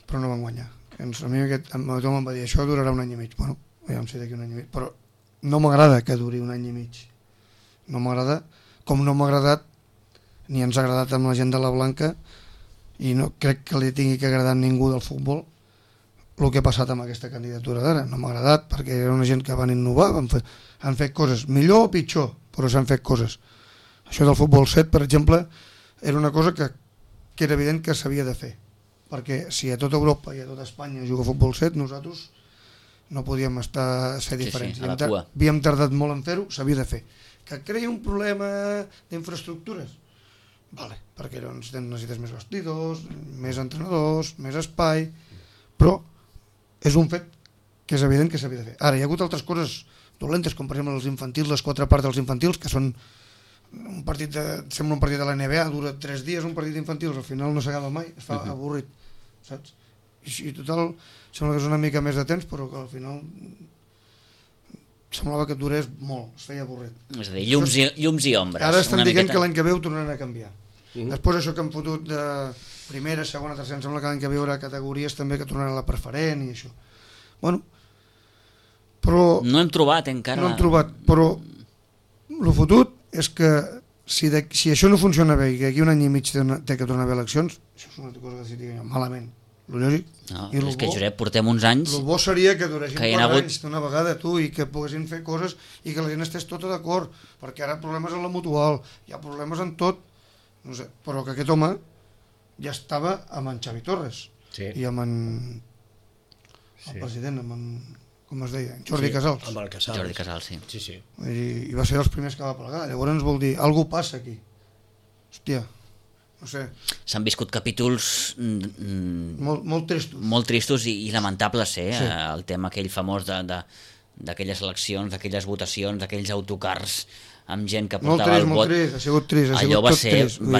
però no van guanyar. A mi tothom em va dir, això durarà un any i mig. Bueno, ja em sé d'aquí un any i mig, però no m'agrada que duri un any i mig. No m'agrada, com no m'ha agradat ni ens ha agradat amb la gent de la Blanca, i no crec que li tingui que agradar a ningú del futbol el que ha passat amb aquesta candidatura d'ara. No m'ha agradat perquè era una gent que van innovar, han fet coses millor o pitjor, però s'han fet coses. Això del futbol 7, per exemple, era una cosa que era evident que s'havia de fer, perquè si a tota Europa i a tota Espanya juga futbol 7, nosaltres no podíem ser diferents. Sí, havíem tardat molt en fer-ho, s'havia de fer. Que creia un problema d'infraestructures? Vale, perquè necessites més vestidors, més entrenadors, més espai, però és un fet que és evident que s'havia de fer. Ara, hi ha hagut altres coses dolentes, com per exemple els infantils, les 4 parts dels infantils, que són sembla un partit de la NBA, dura 3 dies un partit d'infantils, al final no s'acaba mai, es fa avorrit, saps? I total, sembla que és una mica més de temps, però que al final semblava que durés molt, es feia avorrit. És a dir, llums i ombres. Ara estan dient que l'any que ve ho tornaran a canviar. Després això que han fotut de primera, segona, tercera, em sembla que l'any que ve hi haurà categories també que tornaran a la preferent i això. Bueno, però... No hem trobat encara... No hem trobat, però el fotut és que si això no funciona bé i que aquí un any i mig té que tornar a haver eleccions, això és una cosa que si digui malament. El lògic. No, és que, Josep, portem uns anys... El bo seria que duressin 4 anys d'una vegada, tu, i que poguessin fer coses i que la gent estés tota d'acord, perquè ara problemes en la mutual, hi ha problemes en tot, no sé, però que aquest home ja estava amb en Xavi Torres i amb el president, amb en, com es deia, Jordi Casals. Amb el Casals. Jordi Casals, sí. I va ser dels primers que va plegar. Llavors vol dir, alguna passa aquí. Hòstia, no sé. S'han viscut capítols molt tristos. Molt tristos i lamentables, el tema aquell famós d'aquelles eleccions, d'aquelles votacions, d'aquells autocars amb gent que portava el vot. Molt trist, ha sigut trist. Allò va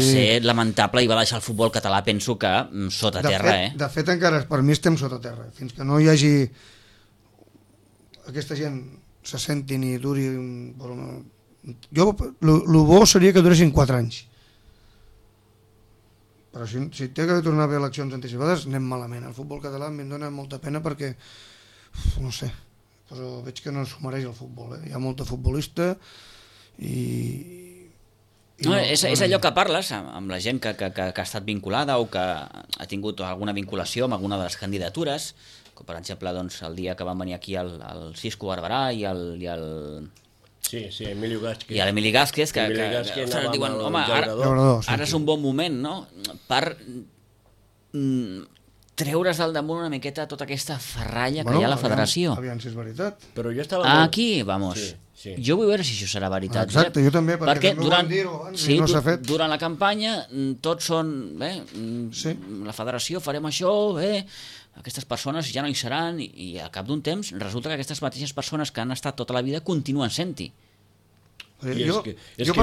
ser lamentable i va deixar el futbol català, penso que, sota terra. De fet, encara per mi estem sota terra. Fins que no hi hagi aquesta gent se sentin i duri... El bo seria que duressin 4 anys. Però si té que tornar a haver eleccions anticipades, anem malament. El futbol català em dona molta pena perquè, no sé, però veig que no s'ho mereix el futbol. Hi ha molta futbolista i No, és allò que parles amb la gent que ha estat vinculada o que ha tingut alguna vinculació amb alguna de les candidatures, com per exemple doncs, el dia que van venir aquí el Cisco Barberà i el Sí, Emilio Gázquez. I a l'Emili Gázquez, que diuen, home, ara és un bon moment, no?, per treure's del damunt una miqueta tota aquesta ferralla que hi ha a la federació. Aviam si és veritat. Però jo estava... Aquí, vamos. Sí. Jo vull veure si això serà veritat. Exacte, jo també, perquè també ho van dir-ho abans i no s'ha fet. Durant la campanya tots són, la federació farem això, aquestes persones ja no hi seran i al cap d'un temps resulta que aquestes mateixes persones que han estat tota la vida continuen sent-hi. És que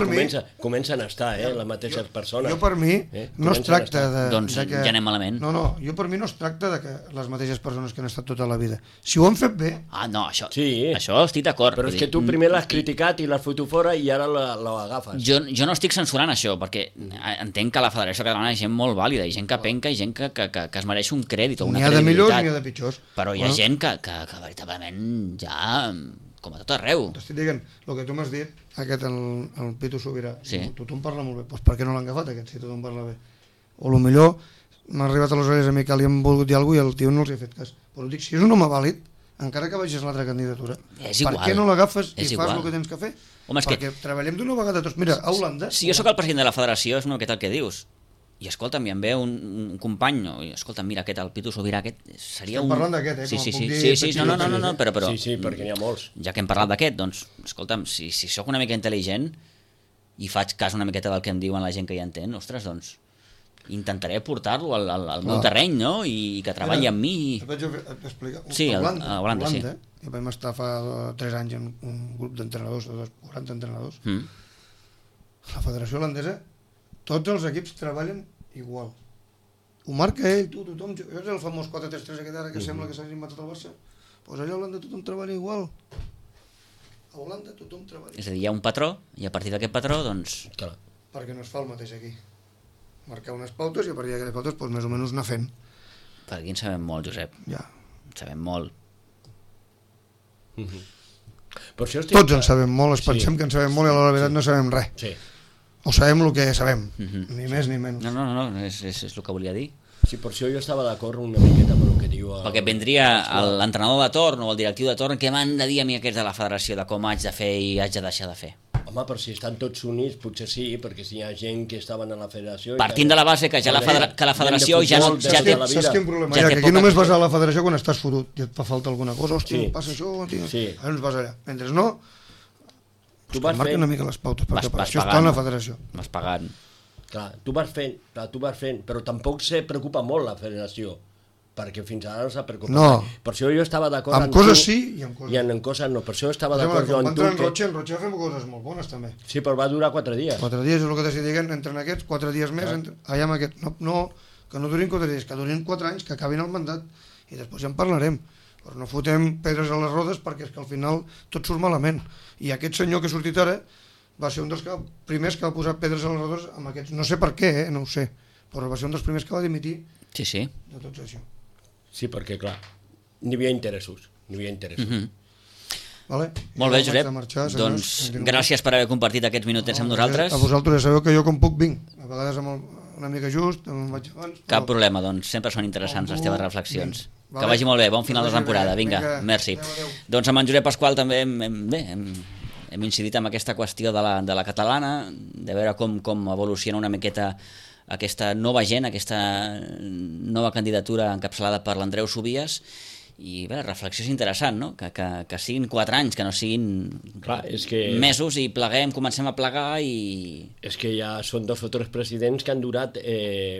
comencen a estar, les mateixes persones. Jo per mi no es tracta de... Doncs ja anem malament. No, jo per mi no es tracta de que les mateixes persones que han estat tota la vida. Si ho han fet bé... No, això estic d'acord. Però és que tu primer l'has criticat i l'has fotut fora i ara l'agafes. Jo no estic censurant això, perquè entenc que la Federació Catalana hi ha gent molt vàlida, hi ha gent que penca i gent que es mereix un crèdit o una credibilitat. N'hi ha de millors i n'hi ha de pitjors. Però hi ha gent que veritablement ja... com a tot arreu. T'estic dient, el que tu m'has dit, aquest, el Pitu Sobirà, tothom parla molt bé, doncs per què no l'han agafat aquest, si tothom parla bé? O millor m'ha arribat a les orelles a mi que li han volgut dir alguna cosa i el tio no els ha fet cas. Però dic, si és un home vàlid, encara que vagis a l'altra candidatura, per què no l'agafes i fas el que tens que fer? Perquè treballem d'una vegada tots. Mira, a Holanda... Si jo sóc el president de la federació, és una miqueta el que dius. I escolta'm, i em ve un company, escolta'm, mira, aquest, el Pitu Sobirà, aquest seria Estem parlant d'aquest, Sí, no, però... Sí, perquè n'hi ha molts. Ja que hem parlat d'aquest, doncs, escolta'm, si sóc una mica intel·ligent i faig cas una miqueta del que em diuen la gent que hi entén, ostres, doncs, intentaré portar-lo al meu terreny, no?, i que treballi amb mi. Et vaig explicar. Sí, a Holanda, sí. Jo vam estar fa 3 anys en un grup d'entrenadors, de 40 entrenadors. La federació holandesa, tots els equips treballen igual. Ho marca ell, tothom... És el famós 4-3-3 aquest ara que sembla que s'ha inventat al Barça. Doncs allà a Holanda tothom treballa igual. A Holanda tothom treballa igual. És a dir, hi ha un patró, i a partir d'aquest patró, doncs... Clar. Perquè no es fa el mateix aquí. Marcar unes pautes i a partir d'aquestes pautes, doncs més o menys anar fent. Per aquí en sabem molt, Josep. Ja. En sabem molt. Tots en sabem molt, pensem que en sabem molt i a la veritat no sabem res. Sí. O sabem el que sabem, ni més ni menys. No, és el que volia dir. Sí, per això jo estava d'acord una miqueta amb el que diu... Perquè vendria l'entrenador de torn o el directiu de torn, què m'han de dir a mi aquests de la federació de com haig de fer i haig de deixar de fer? Home, però si estan tots units, potser sí, perquè si hi ha gent que estaven a la federació... Partint de la base que ja la federació ja té... Saps quin problema hi ha? Que aquí només vas a la federació quan estàs fotut i et fa falta alguna cosa. Hòstia, passa això, tio. Ara ens vas allà. Mentre no... marca una mica les pautes, perquè per això està en la federació. Vas pagant. Clar, tu vas fent, però tampoc se preocupa molt la federació, perquè fins ara no s'ha preocupat. No. Per això jo estava d'acord amb coses sí i amb coses no. I en coses no, per això estava d'acord jo amb tu. En Roche va fer coses molt bones també. Sí, però va durar 4 dies. 4 dies és el que t'estic dient, entren aquests, 4 dies més, allà amb aquest. No, que no durin 4 dies, que durin 4 anys, que acabin el mandat, i després ja en parlarem. Però no fotem pedres a les rodes perquè és que al final tot surt malament. I aquest senyor que ha sortit ara va ser un dels primers que va posar pedres a les rodes amb aquests. No sé per què, no ho sé, però va ser un dels primers que va dimitir de tot això. Sí, perquè clar, n'hi havia interessos. Vale? Molt bé, Josep. Doncs gràcies per haver compartit aquests minutets amb nosaltres. A vosaltres ja sabeu que jo com puc vinc. A vegades una mica just, me'n vaig abans. Cap problema, doncs sempre són interessants les teves reflexions. Que vagi molt bé, bon final de temporada. Vinga, merci. Doncs amb en Josep Pasqual també hem incidit en aquesta qüestió de la catalana, de veure com evoluciona una miqueta aquesta nova gent, aquesta nova candidatura encapçalada per l'Andreu Subies, i bé, la reflexió és interessant, no? Que siguin 4 anys, que no siguin mesos, i pleguem, comencem a plegar i... És que ja són 2 o 3 presidents que han durat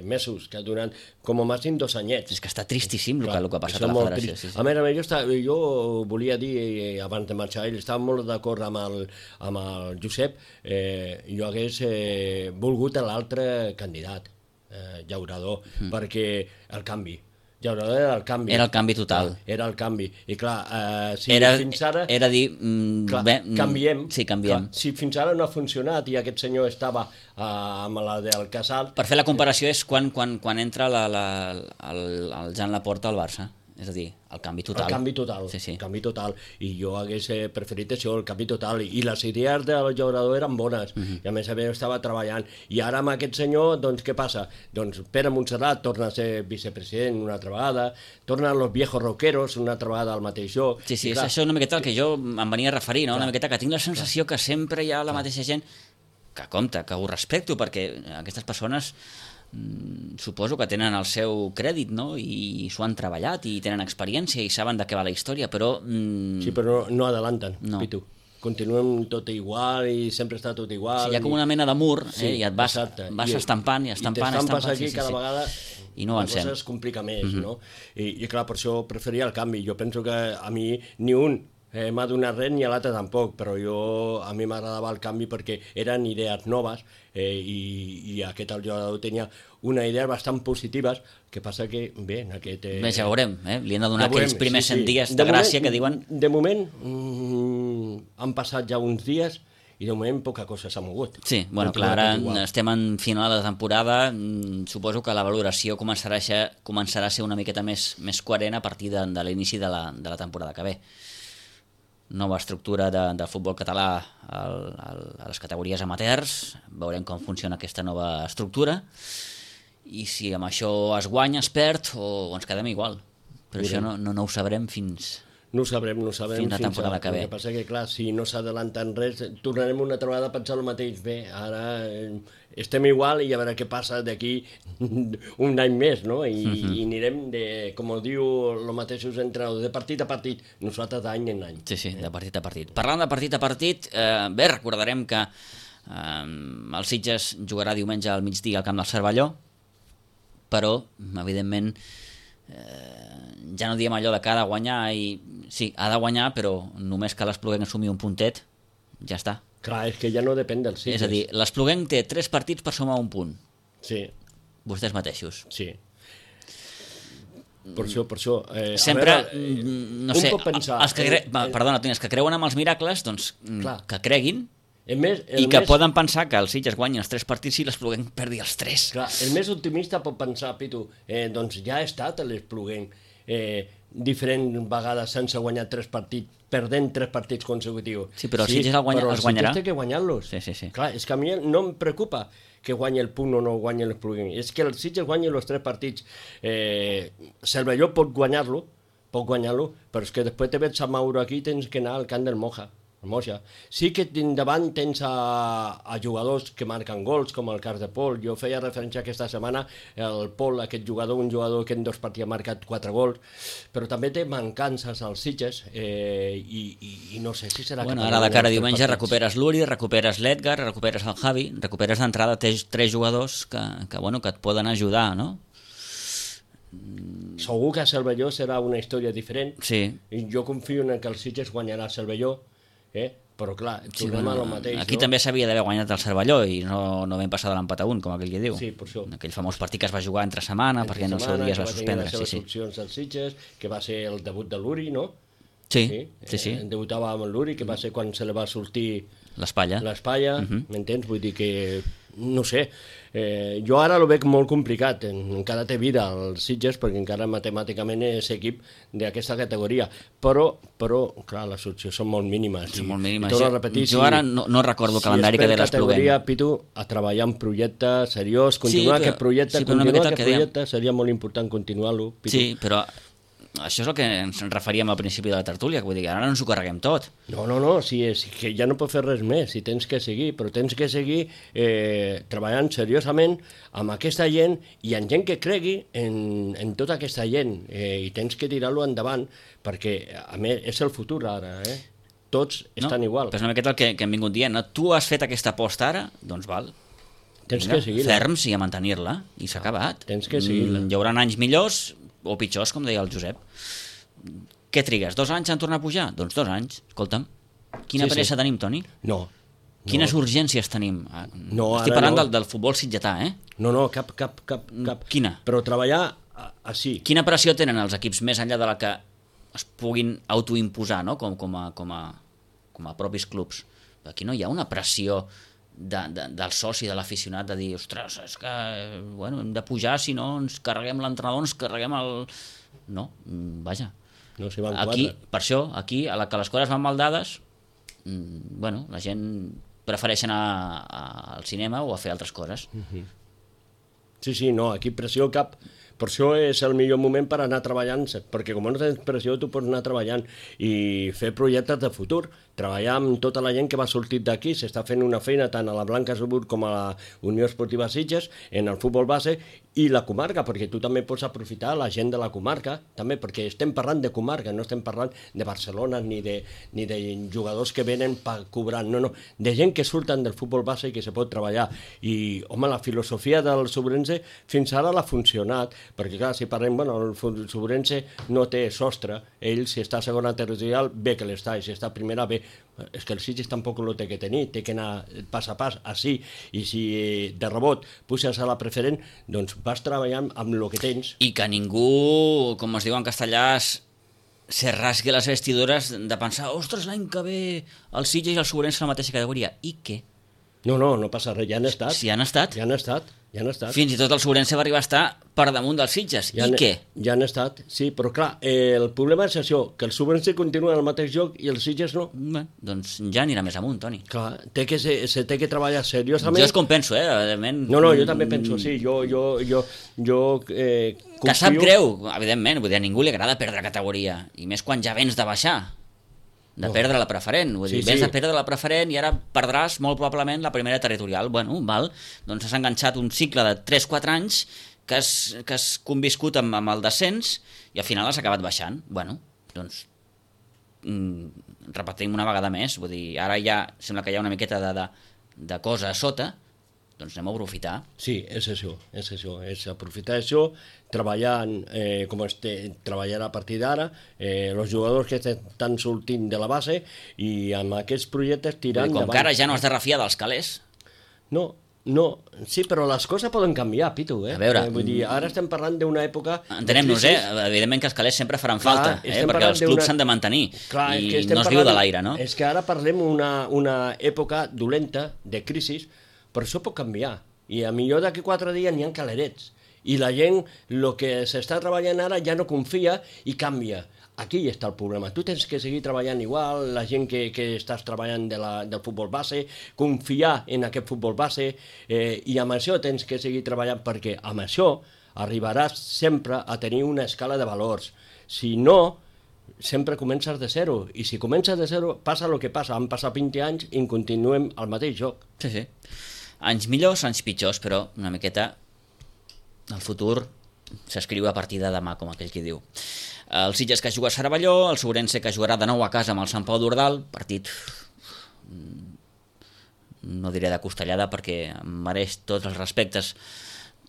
mesos, que han durat com a màxim 2 anyets. És que està tristíssim el que ha passat a la federació. A més, jo volia dir, abans de marxar, estava molt d'acord amb el Josep, jo hagués volgut l'altre candidat, Llaurador, perquè el canvi. Llaurador era el canvi. Era el canvi total. Era el canvi. I clar, si fins ara... Era dir... canviem. Sí, canviem. Clar, si fins ara no ha funcionat i aquest senyor estava amb la del Casal... Per fer la comparació és quan entra el Jan Laporta al Barça. És a dir, el canvi total. El canvi total, Sí, sí. el canvi total. I jo hagués preferit això, el canvi total. I les idees del jugador eren bones. I a més estava treballant. I ara amb aquest senyor, doncs què passa? Doncs Pere Montserrat torna a ser vicepresident una altra vegada, tornen los viejos roqueros una altra vegada al mateix lloc. Sí, I és això una miqueta el que jo em venia a referir, no? Una miqueta que tinc la sensació que sempre hi ha la mateixa gent que compta, que ho respecto, perquè aquestes persones suposo que tenen el seu crèdit, no? I s'ho han treballat i tenen experiència i saben de què va la història, però... Sí, però no adelanten, No. Pitu. Continuem tot igual i sempre està tot igual. Sí, hi ha com una mena de mur, Sí, i et vas estampant i estampant, aquí sí, cada sí. vegada I no la avancem. cosa es complica més, no? I clar, per això preferia el canvi. Jo penso que a mi ni un m'ha donat res ni a l'altre tampoc, però a mi m'agradava el canvi perquè eren idees noves i aquest el jugador tenia una idea bastant positives, que passa que, bé, en aquest... Bé, ja veurem, li han de donar ja veurem, aquells primers sí, sí. 100 dies De de moment- gràcia que diuen... De moment han passat ja uns dies i de moment poca cosa s'ha mogut. Sí, bueno, clar, ara estem en final de temporada, suposo que la valoració començarà a ser una miqueta més coherent a partir de l'inici de la temporada que ve. Nova estructura de futbol català a les categories amateurs, veurem com funciona aquesta nova estructura i si amb això es guanya, es perd o ens quedem igual. Però això no ho sabrem fins... No ho sabrem fins la temporada que ve. El que passa que, clar, si no s'adelanta en res, tornarem una altra vegada a pensar el mateix. Bé, ara estem igual i a veure què passa d'aquí un any més, no? I anirem, com ho diu els mateixos entrenadors, de partit a partit, nosaltres d'any en any. Sí, de partit a partit. Parlant de partit a partit, bé, recordarem que el Sitges jugarà diumenge al migdia al camp del Cervelló, però, evidentment, ja no diem allò de que ha de guanyar i sí, ha de guanyar, però només que l'Espluguenc assumir un puntet, ja està. Clar, és que ja no depèn del Sitges. És a dir, l'Espluguenc té 3 partits per sumar un punt. Sí. Vostès mateixos. Sí. Per això... Sempre, a veure, no sé, pot pensar, perdona, Toni, els que creuen amb els miracles, doncs Clar. que creguin i que poden pensar que el Sitges guanyi els 3 partits i l'Espluguenc perdi els 3. Clar, el més optimista pot pensar, Pitu, doncs ja ha estat l'Espluguenc diferents vegades sense guanyar 3 partits, perdent 3 partits consecutius. Sí, però el Sitges els guanyarà. Però el Sitges té que guanyar-los. Sí. Clar, és que a mi no em preocupa que guanyi el punt o no guanyi l'Espluguenc. És que el Sitges guanyi els 3 partits. Cervelló pot guanyar-lo, però és que després te veig a Mauro aquí, tens que anar al camp del Moja. Sí que davant tens a jugadors que marquen gols, com el cas de Pol. Jo feia referència aquesta setmana el Pol, aquest jugador, un jugador que en 2 partits ha marcat 4 gols, però també té mancances als Sitges i no sé si serà... Bueno, ara de cara a diumenge recuperes l'Uri, recuperes l'Edgar, recuperes el Javi, recuperes d'entrada 3 jugadors que et poden ajudar, no? Segur que a Cervelló serà una història diferent. Sí. I jo confio en que el Sitges guanyarà a Cervelló, però clar, tornem a lo mateix. Aquí no? també s'havia d'haver guanyat el Cervelló i no vam passar de l'empat a 1, com aquell que diu. Sí, per això. Aquell famós partit que es va jugar entre setmana perquè en el seu dia es va suspendre. Que va tenir les seves opcions al Sitges, que va ser el debut de l'Uri, no? Sí. Debutava amb l'Uri, que va ser quan se li va sortir l'espatlla, m'entens? Vull dir que, no sé, jo ara ho veig molt complicat, encara té vida els Sitges, perquè encara matemàticament és equip d'aquesta categoria, però clar, les opcions són molt mínimes. Són molt mínimes. I repetir, jo ara no recordo el calendari que té l'Espluguenc. categoria, Pitu, a treballar en projecte seriós, continuar aquest projecte, seria molt important continuar-lo, Pitu. Sí, però això és el que ens referíem al principi de la tertúlia, vull dir que ara no ens ho carreguem tot. No, sí, és que ja no pots fer res més, si tens que seguir, però tens que seguir treballant seriosament amb aquesta gent i amb gent que cregui en tota aquesta gent i tens que tirar-lo endavant perquè, a més, és el futur ara, tots estan igual. Però és una miqueta el que hem vingut dient, no? Tu has fet aquesta aposta ara, doncs val. Tens que seguir-la. Ferms i a mantenir-la, i s'ha acabat. Tens que seguir-la. Hi haurà anys millors o pitjors, com deia el Josep. Què trigues? 2 anys en tornar a pujar? Doncs 2 anys. Escolta'm, quina pressa tenim, Toni? No. Quines urgències tenim? Estic parlant del futbol sitgetà, No, cap. Quina? Però treballar així. Quina pressió tenen els equips més enllà de la que es puguin autoimposar, no? com a propis clubs? Aquí no hi ha una pressió del soci, de l'aficionat, de dir, ostres, és que bueno, hem de pujar, si no ens carreguem l'entrenador, ens carreguem el... No, vaja. No s'hi van aquí, quatre. per això, aquí, a la que les coses van mal dades, bueno, la gent prefereix anar al cinema o a fer altres coses. Sí, no, aquí pressió cap. Per això és el millor moment per anar treballant, perquè com no tens pressió tu pots anar treballant i fer projectes de futur, treballar amb tota la gent que va sortir d'aquí, s'està fent una feina tant a la Blanca Subur com a la Unió Esportiva Sitges, en el futbol base i la comarca, perquè tu també pots aprofitar la gent de la comarca, també, perquè estem parlant de comarca, no estem parlant de Barcelona ni de jugadors que venen cobrant, no, de gent que surten del futbol base i que se pot treballar. I, home, la filosofia del Subrense fins ara l'ha funcionat, perquè clar, si parlem, bueno, el Subrense no té sostre, ell si està a segona territorial bé que l'està, i si està a primera bé, és que el Sitges tampoc lo té que tenir, té que anar pas a pas, així, i si de rebot puges a la preferent, doncs vas treballant amb el que tens. I que ningú, com es diu en castellà, se rasgui les vestidures de pensar, ostres, l'any que ve el Sitges i el Subrense a la mateixa categoria. I què? No passa res, ja han estat. Si han estat. Ja han estat. Fins i tot el Subrense va arribar a estar per damunt dels Sitges. I què? Ja han estat, sí, però clar, el problema és això, que el Subrense continua en el mateix joc i el Sitges no. Bé, doncs ja anirà més amunt, Toni. Clar, se té que treballar seriosament. Jo és com penso, evidentment. No, jo també penso, sí, jo confio... Que sap greu, evidentment, vull dir, a ningú li agrada perdre categoria, i més quan ja vens de baixar. Perdre la preferent, vull dir, vens de perdre la preferent i ara perdràs molt probablement la primera territorial. Bueno, val, doncs has enganxat un cicle de 3-4 anys que has conviscut amb el descens i al final has acabat baixant. Bueno, doncs repetim una vegada més, vull dir, ara ja sembla que hi ha una miqueta de cosa a sota, doncs anem a aprofitar. Sí, és això, és aprofitar això, treballant treballar a partir d'ara, els jugadors que estan sortint de la base i amb aquests projectes tirant com endavant. que ara ja no has de refiar dels calés. No, sí, però les coses poden canviar, Pitu, A veure... Vull dir, ara estem parlant d'una època... Entenem-nos, evidentment que els calés sempre faran falta, perquè els clubs s'han de mantenir. Clar, i no es viu de l'aire, no? És que ara parlem una època dolenta, de crisi, però això pot canviar. I a millor d'aquí 4 dies n'hi ha calerets. I la gent, el que s'està treballant ara ja no confia i canvia. Aquí està el problema. Tu tens que seguir treballant igual, la gent que estàs treballant del futbol base, confiar en aquest futbol base, i amb això tens que seguir treballant perquè amb això arribaràs sempre a tenir una escala de valors. Si no, sempre comences de zero, i si comences de zero passa el que passa. Han passat 20 anys i continuem al mateix joc. Sí. Anys millors, anys pitjors, però una miqueta el futur s'escriu a partir de demà, com aquell qui diu. El Sitges que juga a Cervelló, el Subrense que jugarà de nou a casa amb el Sant Pau d'Ordal, partit no diré de costellada perquè mereix tots els respectes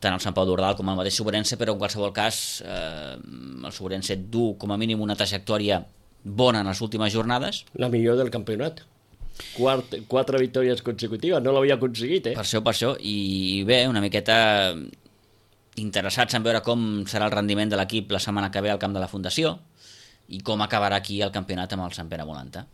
tant el Sant Pau d'Ordal com el mateix Subrense, però en qualsevol cas el Subrense du com a mínim una trajectòria bona en les últimes jornades. La millor del campionat. 4 victòries consecutives, no l'havia aconseguit, Per això, i bé, una miqueta interessats en veure com serà el rendiment de l'equip la setmana que ve al camp de la Fundació i com acabarà aquí el campionat amb el Sant Pere Volanta.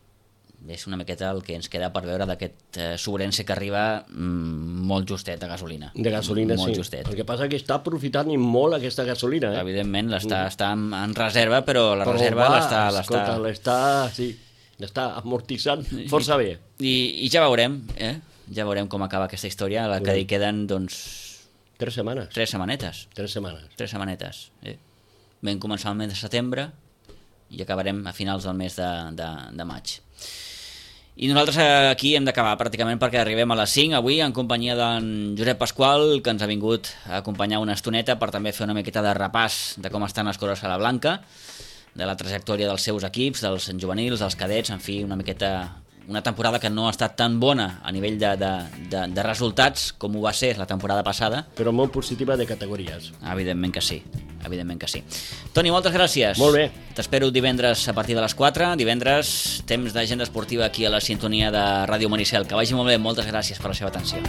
És una miqueta el que ens queda per veure d'aquest Subrense que arriba molt justet de gasolina. De gasolina, molt sí. Justet. El que passa que està aprofitant molt aquesta gasolina. Evidentment, està en reserva, però la reserva l'està amortitzant força bé. I ja veurem, ja veurem com acaba aquesta història, la que hi queden, doncs... 3 setmanes. 3 setmanetes. 3 setmanetes. Vam començar el mes de setembre i acabarem a finals del mes de maig. I nosaltres aquí hem d'acabar pràcticament perquè arribem a les 5 avui en companyia d'en Josep Pasqual, que ens ha vingut a acompanyar una estoneta per també fer una miqueta de repàs de com estan les coses a la Blanca, de la trajectòria dels seus equips, dels juvenils, dels cadets, en fi, una miqueta... Una temporada que no ha estat tan bona a nivell de resultats com ho va ser la temporada passada. Però molt positiva de categories. Evidentment que sí. Toni, moltes gràcies. Molt bé. T'espero divendres a partir de les 4. Divendres, temps d'agenda esportiva aquí a la sintonia de Ràdio Maricel. Que vagi molt bé. Moltes gràcies per la seva atenció.